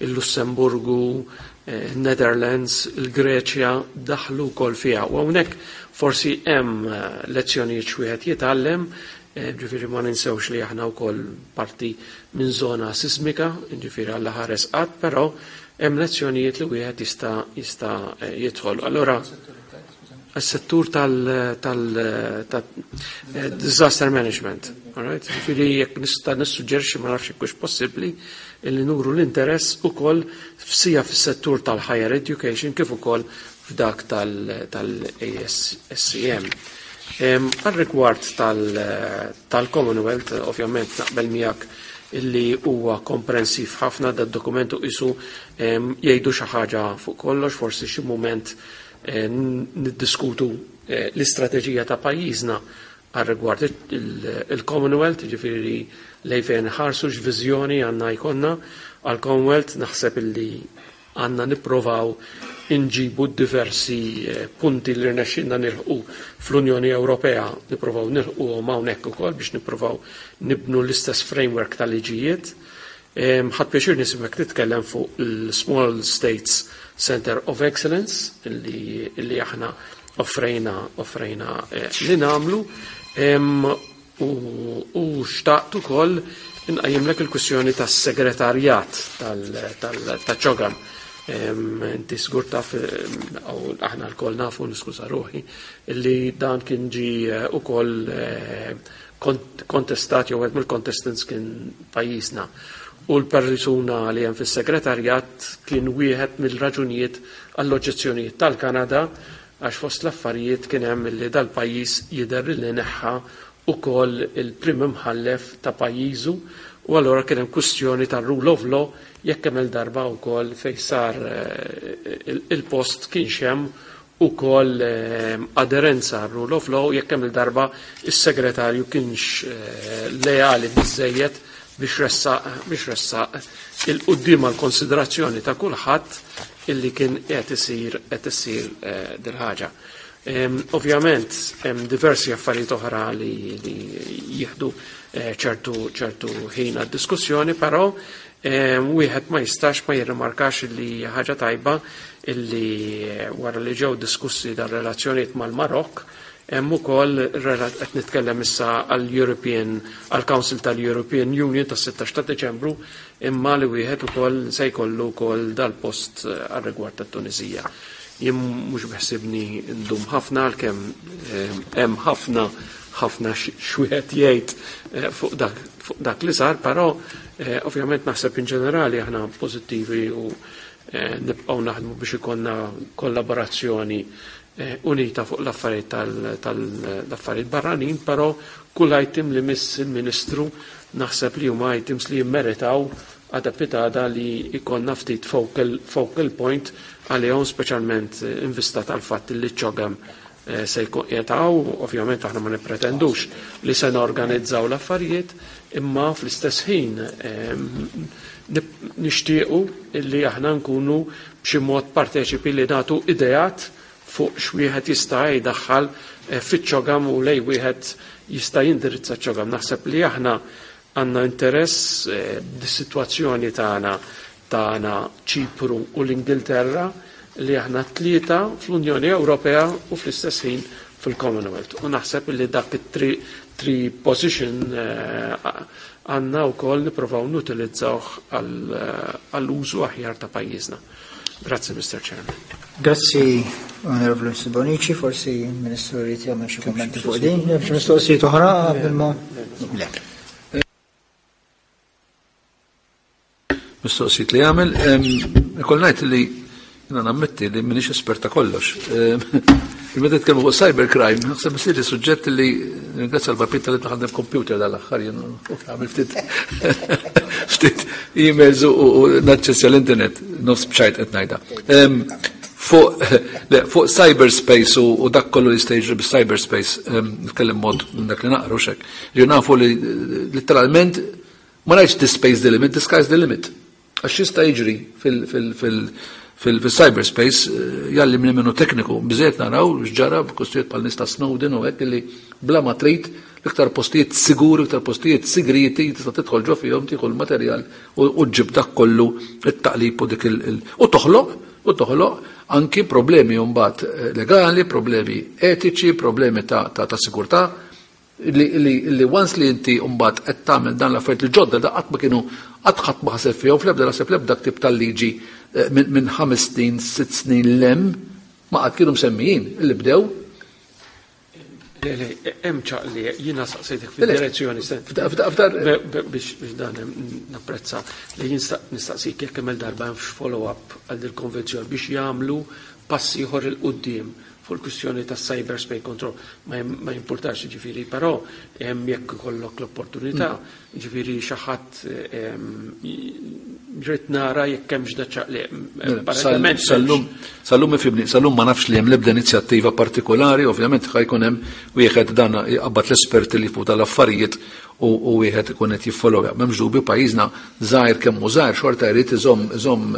il-Lussemburgu, Netherlands, il-Greċja daħlu wkoll fiha. U hawnhekk forsi hemm lezzjonijiet x'wieħed jitgħallem, ġifieri ma ninsewx li aħna wkoll parti minn żona sismika, ġifieri Alla ħares qatt, però hemm lezzjonijiet li wieħed jista' jidħol. Allora, s-settur tal disaster management. Alright? Ġifieri jekk nista' nissuġġerixxi, ma nafx jekk possibbli, illi nuru l-interess ukoll f'sija fis-settur tal-higher education kif ukoll f'dak tal-ASCM. Għal-rigward tal-Commonwealth, ovvjament naqbel miegħek illi huwa komprensiv ħafna da dokumentu, isu jgħidu xi ħaġa fuq kollox, forsi xi mument niddiskutu l-istrateġija ta' pajjiżna għal rigward il-Commonwealth, ġifieri lejn fejn ħarsu, x'viżjoni għandna jkollna għal-Commonwealth. Naħseb illi għandna nipprovaw inġibu diversi punti li rnexxinna nilħqu fl-Unjoni Ewropea, nipprovaw nilħqu hawnhekk ukoll biex nipprovaw nibnu l-istess framework tal-liġijiet. Ħadt pjaċir nismek titkellem fuq il-Small States Center of Excellence li aħna offrejna li nagħmlu u xtaqt ukoll inqajjimlek il-kwistjoni tas-segretarjat tal-CHOGM. Inti żgur taf, u aħna lkoll nafu, niskuża ruħi, illi dan kien ġi ukoll kontestat jew mill-contestants kien pajjiżna. U l-persuna li hemm fis-segretarjat kien wieħed mill-raġunijiet għall-oġġezzjonijiet tal-Kanada, għax fost l-affarijiet kien hemm li dal-pajjiż jidher li neħħa. Ukoll il-Prim Imħallef ta' pajjiżu u allura kien hemm kwistjoni ta' rule of law jekk kemm il-darba wkoll fejn sar il-post kienx hemm ukoll aderenza għal rule of law, jekk kemm il-darba is-segretarju kienx leali biżejjed biex ressaq il-quddiem għal konsiderazzjoni ta' kulħadd illi kien qed isir dil-ħaġa. Ovvjament, hemm diversi affarijiet oħra li jieħdu ċertu ħin għad-diskussjoni, però wieħed ma jistax ma jirrimarkax li ħaġa tajba illi wara li ġew diskussi dar relazzjonijiet mal-Marokk, hemm ukoll qed nitkellem issa għall-European għall-Council tal-European Union tas-16 ta' Deċembru, imma li wieħed ukoll se jkollu wkoll dal-post għar-rigward tat-Tunisija. Jien mhux beħsibni ndum ħafna, għalkemm hemm ħafna ħafna x'wieħed jgħid fuq dak li sar, però ovvjament naħseb in ġenerali aħna pożittivi u nibqgħu naħdmu biex ikollna kollaborazzjoni unita fuq l-affarijiet tal-affarijiet barranin, però kull item li miss il-Ministru naħseb li huma items li jimmeritaw għada pitgħada li jkollna ftit focal point għalihom, speċjalment in vista tal-fatt li CHOGM se jkun qiegħed, ovvjament aħna ma nippretendux li se norganizzaw l-affarijiet, imma fl-istess ħin nixtiequ illi aħna nkunu b'xi mod parteċipi li nagħtu ideat fuq x'wieħed jista' jdaħħal fiċ-CHOGM u lejn wieħed jista' jindirizza CHOGM. Naħseb li aħna għandna interess dis-sitwazzjoni tagħna, Ċipru u l-Ingilterra, li aħna tlieta fl-Unjoni Ewropea u fl-istess ħin fil-Commonwealth. U naħseb li dak it-three position għandna wkoll nippruvaw nutilizzawh għall-użu aħjar ta' pajjiżna. Grazzi, Mr. Chairman. Grazzi, Onorevole Bonici, forsi il-Ministru jrid jagħmel xi kummenti fuq din, hemm xi mistoqsijiet oħra qabel ma. Le. Mistoqsijiet li jagħmel, ikoll ngħid li jiena nammetti li m'iniex esperta kollox. Meta titkellmu fuq cybercrime, naħseb isir suġġett li ringrazzja l-papit tal taħdem computer dal-aħħar, jien għamil ftit emails u naċċessja l-internet, nofs bċajt qed ngħidha. Fuq cyberspace u dak kollu li jista' jiġri bis-cyberspace, nitkellem mod minn dak li naqru xek. Ġi nafu li literalment ma ngħidx the space the limit, the sky's the limit. Għax jista' jiġri fil-cyberspace jalli minn minnu tekniku, biżejjed naraw x'ġara b'kwistjonijiet bħal nies ta' Snowden u hekk, li bla ma trid l-iktar postijiet siguri, l-iktar postijiet sigriti tista' tidħol ġo fihom, tieħu l-materjal u ġġib dak kollu it-taqlib u dik il u toħloq anki problemi mbagħad legali, problemi etiċi, problemi ta' sigurtà li once li inti mbagħad qed tagħmel dan l-affarijiet li ġodda da qatt ma kienu, qatt ħadd ma ħaseb fihom fl-ebda, naħseb, l-ebda ktib tal-liġi minn 5 snin, 6 snin lem ma qatt kienu msemmijin li bdew. Le, hemm ċaqli, jiena saqsejtek fid-direzzjoni biex dan napprezza li jien nistaqsik jekk kemm darba hemm follow-up għal dil-konvenzjoni biex jagħmlu passi ieħor 'il quddiem fuq il-kwistjoni ta' cyberspace control. Ma jimpurtax, ġifieri, però hemm jekk ikollok l-opportunità, ġifieri xi ħadd rrid nara jekk hemmx da ċaqli. Apparentement Sal-lum ifhimni, sal-lum ma nafx li hemm l-ebda inizjattiva partikolari, ovvjament ħa jkun hemm wieħed dan jqabbad l-esperti li fuq tal-affarijiet u wieħed ikun qed jiffollowja. M'hemmx dubju, pajjiżna żgħir kemm hu żgħir xorta jrid iżomm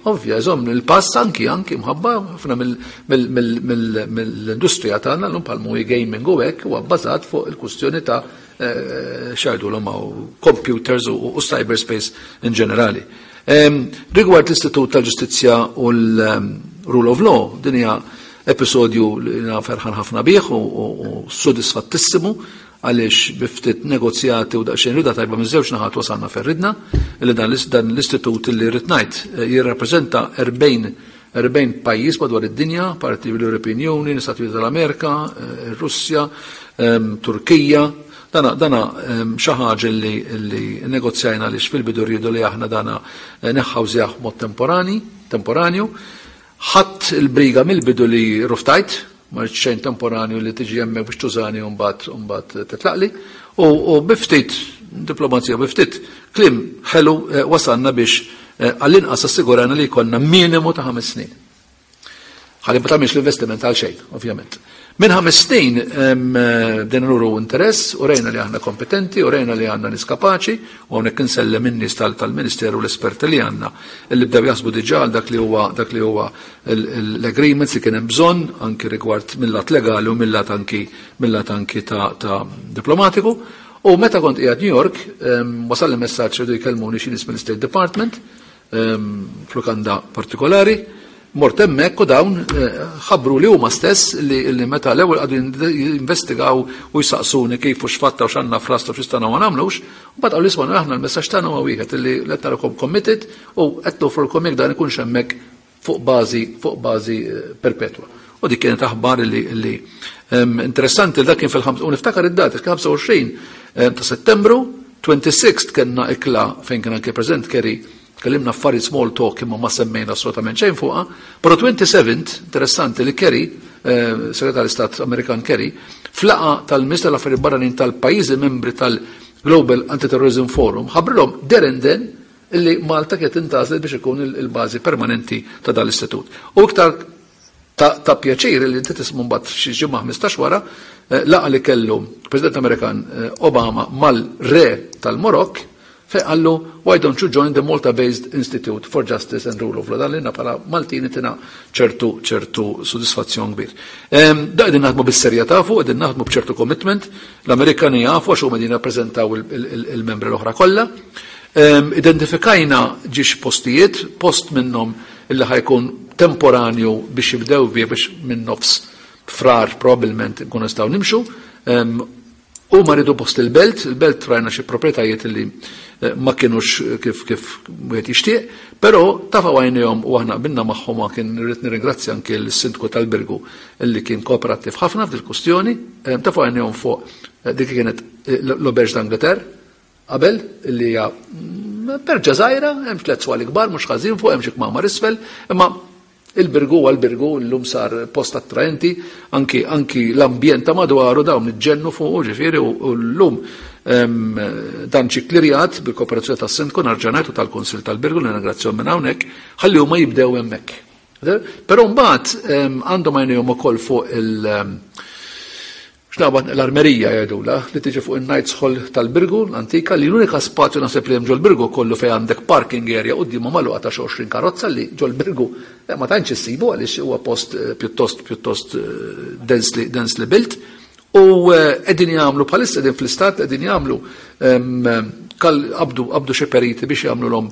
ovvja, iżomm il-pass anki mħabba ħafna mill-industrija tagħna llum bħal movie gaming u hekk huwa bbażat fuq il-kwistjoni ta' x'jgħidu l computers u cyberspace in ġenerali. Rigward l-Istitut tal-Ġustizzja u l-Rule of Law, din hija episodju li jiena ferħan ħafna bih u sodisfattissimu, għaliex bi ftit negozjati u daqsxejn rida tajba minn żewġ naħat wasalna fejn ridna, li dan l-istitut li rrid ngħid jirrappreżenta 40 pajjiż madwar id-dinja, parti l-European Union, l-Istati Uniti tal-Amerika, ir-Russja, Turkija. Dana xi ħaġa li negozjajna li fil-bidu rridu li aħna dana neħħawżjah mod temporanju. Ħadd il-briga mill-bidu li rrifjutajt. Ma rridx xejn temporanju li tiġi hemmhekk biex tużani u mbagħad u mbagħad titlaqli. U bi ftit diplomazija, bi ftit kliem ħelu wasalna biex għall-inqas assigurana li jkollna minimu ta' 5 snin. Ħalli ma tagħmilx l-investiment għal xejn, ovvjament. Minn 5 snin bdejna nuru interess u rejna li aħna kompetenti u rejna li għandna nies kapaċi u hawnhekk insellem in-nies tal-Ministeru u l-esperti li għandna illi bdew jaħsbu diġà għal dak li huwa dak li huwa l-agreements li kien hemm bżonn anki rigward mill-lat legali u mill-lat anki mill-lat anki ta' diplomatiku. U meta kont qiegħed New York, wasal li messaġġ rridu jkellmuni xi nies mill-State Department f'lukanda partikolari, mort hemmhekk u dawn ħabbru li huma stess li meta l-ewwel qagħdu jinvestigaw u jsaqsuni kif u x'fatta u x'għandna f'rasna u x'nistgħu ma nagħmlux, u mbagħad qalu isma' aħna l-messaġġ tagħna huwa wieħed li qed narakom committed u qed nofrulkom jekk dan ikunx hemmhekk fuq bażi fuq bażi perpetwa. U dik kienet aħbar li interessanti li dak kien fil-ħams u niftakar id-data kien 25 ta' Settembru, 26 kellna ikla fejn kien anke preżent Kerry, tkellimna affarijiet small talk imma ma semmejna assolutament xejn fuqha, però 27 interessanti li Kerry, Segretarju Stat Amerikan Kerry, flaqa tal-Ministru tal-Affarijiet Barranin tal-pajjiżi membri tal-Global Anti-Terrorism Forum ħabbrilhom there and then illi Malta kienet intgħażlet biex ikun il-bażi permanenti ta' dan l-istitut. U iktar ta' pjaċir li inti tismu mbagħad xi ġimgħa 15 wara laqa li kellu President Amerikan Obama mal-re tal-Marokk fejn qallu why don't you join the Malta-based Institute for Justice and Rule of Law. Dan lilna bħala Maltin itina ċertu ċertu sodisfazzjon kbir. Da qegħdin naħdmu bis-serjetà fuq, qegħdin naħdmu b'ċertu commitment, l-Amerikani jafu għax huma qegħdin jirrappreżentaw il-membri l-oħra kollha. Identifikajna ġiex postijiet, post minnhom illi ħajkun temporanju biex jibdew bih biex minn nofs frar probabbilment nkunu nistgħu nimxu. Huma rridu post il-belt, il-belt rajna xi proprjetajiet li ma kienux kif kif wieħed jixtieq, però tafgħu għajnejhom u aħna qbilna magħhom u kien irrid nirringrazzja anke lis-Sindku tal-Birgu li kien kooperattiv ħafna f'dil-kwistjoni, tafgħu għajnejhom fuq dik li kienet l-Auberge d'Angleterre qabel li hija perġa żgħira, hemm tliet swali kbar mhux ħażin fuq hemm xi kmamar isfel, imma il-Birgu huwa l-Birgu, llum sar post attraenti, anki anki l-ambjent ta' madwaru dawn iġġennu fuqu ġifieri u llum dan ġie klirjat bil-kooperazzjoni tas-Sindku nerġa' ngħid u tal-Kunsill tal-Birgu li nirringrazzjahom minn hawnhekk ħalli huma jibdew hemmhekk. Però mbagħad għandhom għajnejhom ukoll fuq il- X'naqbad l-armerija jgħidulha li tiġi fuq in-Knights Hall tal-Birgu l-antika li l-unika spazju naħseb li hemm ġol-Birgu kollu fejn għandek parking area quddiemha magħluqa ta' xi 20 karozza li ġol-Birgu ma tantx issibu għaliex huwa post pjuttost pjuttost densely densely built u qegħdin jagħmlu bħalissa qegħdin fl-istat qegħdin jagħmlu qabdu qabdu xi periti biex jagħmlulhom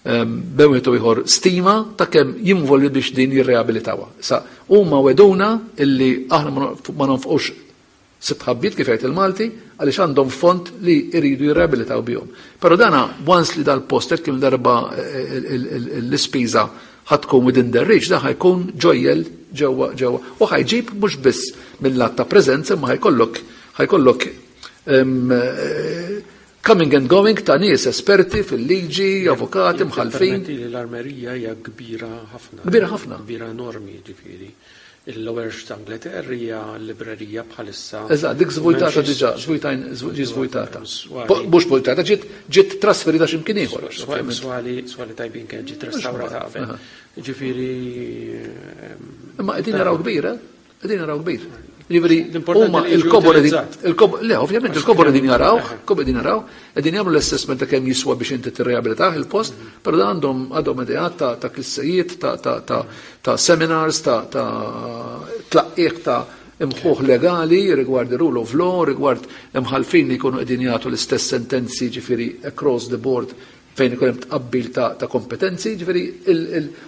bejn wieħed u ieħor stima ta' kemm jinvolvi biex din jirreabilitawha. Issa huma wegħduna illi aħna ma nonfqux sitt ħabbiet kif jgħid il-Malti għaliex għandhom fond li jridu jirreabilitaw bihom. Però dana once li dal-post hekk kemm darba l-ispiża ħa tkun within their reach, dan ħa jkun ġojjel ġewwa ġewwa u ħa jġib mhux biss mill-lat ta' preżenza imma ħa jkollok ħa jkollok Coming and going ta' nies esperti fil-liġi, avukati, mħallfin. Permetti li l-armerija hija kbira ħafna. Kbira ħafna. Kbira enormi, ġifieri. Il-Lowerx d'Angleterre hija librerija bħalissa. Eżatt, dik żvujtata diġà, ġi żvujtata. Mhux vujtata, ġiet ġiet trasferita x'imkien ieħor. Swali, swali tajbin kien ġiet restawrata qabel. Ġifieri. Imma qegħdin naraw kbira, Qegħdin naraw kbir. Jiġifieri huma il-kobor le, ovvjament il-kobor qegħdin jaraw, kobor qegħdin jaraw, qegħdin jagħmlu l-assessment ta' kemm jiswa biex inti tirreabilitah il-post, però dan għandhom għadhom ideat ta' klassejiet, ta' seminars, ta' tlaqqieq ta' imħuħ legali rigward rule of law, rigward imħalfin li jkunu qegħdin jagħtu l-istess sentenzi ġifieri across the board fejn ikun hemm tqabbil ta' kompetenzi, ġifieri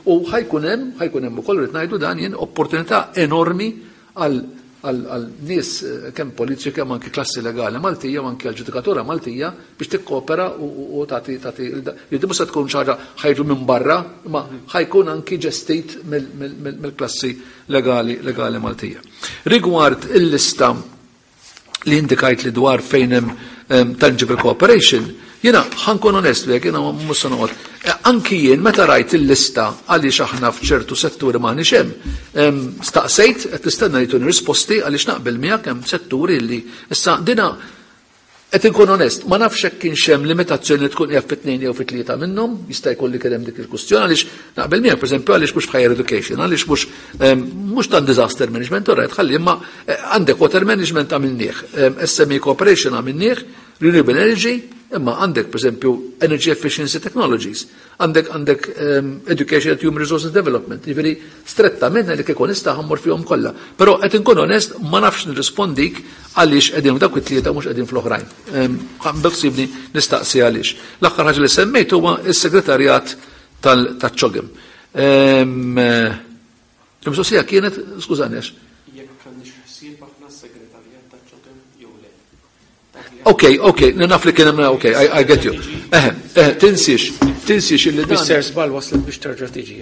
u ħajkun hemm, ħajkun hemm ukoll rrid ngħidu dan jien opportunità enormi għal għal nies eh, kemm politiċi kemm anki klassi legali Maltija u anki għal ġudikatura Maltija biex tikkopera u tagħti tagħti li mhux se tkun xi ħaġa ħajġu minn barra, imma ħajkun anki ġestit mill-klassi legali legali Maltija. Rigward il-lista li indikajt li dwar fejn hemm tangible cooperation, jiena ħankun onest li jiena mhux se noqgħod. Anki jien meta rajt il-lista għaliex aħna f'ċertu setturi m'aħniex hemm, staqsejt qed nistenna li tuni risposti għaliex naqbel miegħek hemm setturi li issa dina qed inkun onest, ma nafx hekk kienx hemm limitazzjoni li tkun qiegħed fit-tnejn jew fit-tlieta minnhom, jista' jkun li kien hemm dik il-kwistjoni għaliex naqbel miegħek pereżempju għaliex mhux f'higher education, għaliex mhux mhux tan disaster management, all right, ħalli imma għandek water management għamilnieh, SME cooperation għamilnieh, renewable energy, imma għandek pereżempju energy efficiency technologies, għandek għandek education and human resources development, jiġifieri strettament li kieku nista' ħammur fihom kollha. Però qed inkun onest ma nafx nirrispondik għaliex qegħdin f'dawk it-tlieta mhux qegħdin fl-oħrajn. Beħsiebni nistaqsi għaliex. L-aħħar ħaġa li semmejt huwa s-segretarjat tal-CHOGM. Il-mistoqsija kienet, skużani għax. Jekk għandniex ħsieb aħna s-segretarjat taċ-CHOGM jew le. Ok, ok, naf li kien hemm, ok, I get you. Eħe, eħe, tinsiex, tinsiex illi dan. Mister żball waslet biex terġa' tiġi.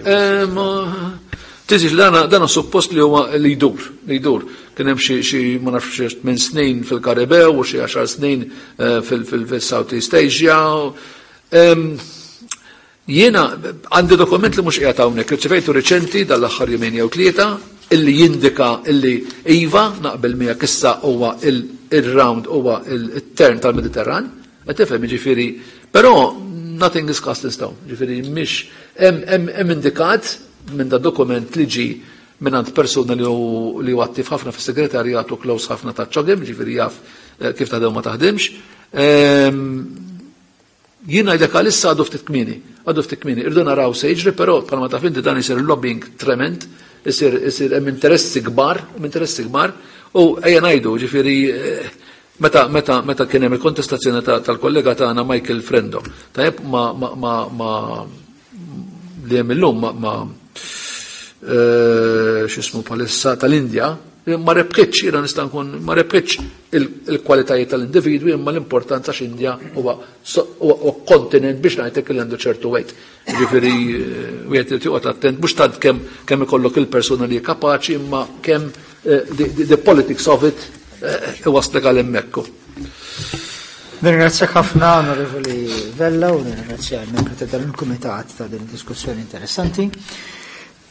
Tinsiex li dana, dana suppost li huwa li jdur, li jdur. Kien hemm xi, xi ma nafx xi tmien snin fil-Karibew u xi għaxar snin fil-South East Asia. Jiena għandi dokument li mhux qiegħed hawnhekk, irċevejtu riċenti dal-aħħar jumejn jew tlieta, illi jindika illi iva naqbel miegħek issa huwa il-round huwa il-turn tal-Mediterran, qed tifhem jiġifieri, però nothing is cast in stone, jiġifieri mhix hemm indikat minn da dokument li ġie mingħand persuna li hu li huwa attiv ħafna fis-segretarjat u close ħafna ta' CHOGM, jiġifieri jaf kif taħdem u ma taħdimx. Jien ngħidlek għalissa għadu ftit kmieni, għadu ftit kmieni. Irridu naraw se jiġri, però bħalma taf inti dan isir lobbying trement, isir isir hemm interessi kbar, hemm interessi kbar, u ejja ngħidu, ġifieri meta meta meta kien hemm il-kontestazzjoni tal-kollega tagħna Michael Frendo, tajjeb ma ma ma ma li hemm illum ma ma x'ismu bħalissa tal-Indja, ma rebħitx, jiena nista' nkun ma rebħitx il-kwalitajiet tal-individwi imma l-importanza x'Indja huwa kontinent biex ngħidlek li għandu ċertu weight. Ġifieri wieħed irid joqgħod attent mhux tant kemm kemm ikollok il-persuna li hi kapaċi imma kemm the politics of it iwaslek għal hemmhekk. Nirringrazzjak ħafna Onorevoli Vella u nirringrazzja l-membri ta' dan il-kumitat ta' din id-diskussjoni interessanti.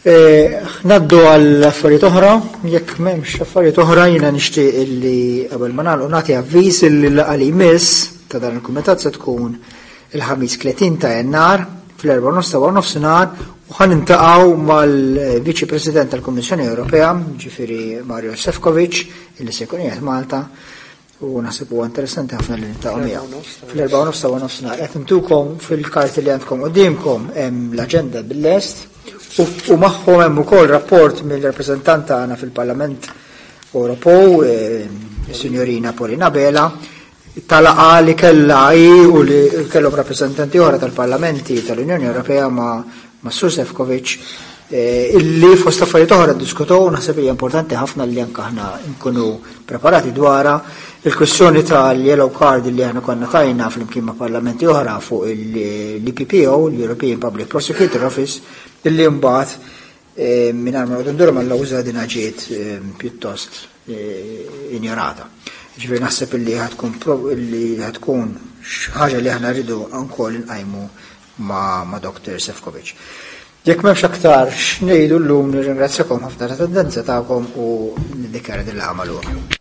Naddu għal affarijiet oħra, jekk m'hemmx affarijiet oħra jiena nixtieq illi qabel ma nagħlqu nagħti avviż illi l-laqgħa li jmiss ta' dan il-kumitat se tkun il-Ħamis 30 ta' Jannar fl-erba' nofs ta' nofsinhar u ħa nintaqgħu mal-Viċi President tal-Kummissjoni Ewropea, ġifieri Mario Sefcovic, illi se jkun qiegħed Malta. U naħseb huwa interessanti ħafna li niltaqgħu miegħu. Fl-erba' u nofs ta' nofsinhar qed intukom fil-karti li għandkom quddiemkom hemm l-aġenda bil-lest u magħhom hemm ukoll rapport mill-rappreżentant tagħna fil-Parlament Ewropew, is-Sinjorina Paulina Bela, tal-laqgħa li kellha hi u li kellhom rappreżentanti oħra tal-Parlamenti tal-Unjoni Ewropea ma' ma' Sur Sefcovic illi fost affarijiet oħra ddiskutew u naħseb hija importanti ħafna li anke aħna nkunu preparati dwarha il-kwistjoni tal-yellow card li aħna konna tajna flimkien ma' parlamenti oħra fuq l-EPPO, l-European Public Prosecutor Office, illi mbagħad mingħajr ma noqogħdu nduru mal-lawża din ġiet pjuttost injorata. Ġifieri naħseb illi ħatkun illi ħatkun ħaġa li aħna rridu wkoll inqajmu ma', ma Dr. Sefcovic. Jekk m'hemmx aktar x'ngħidu llum nirringrazzjakom ħafna tal-attendenza tagħkom u niddikjara din il-laqgħa magħluqa.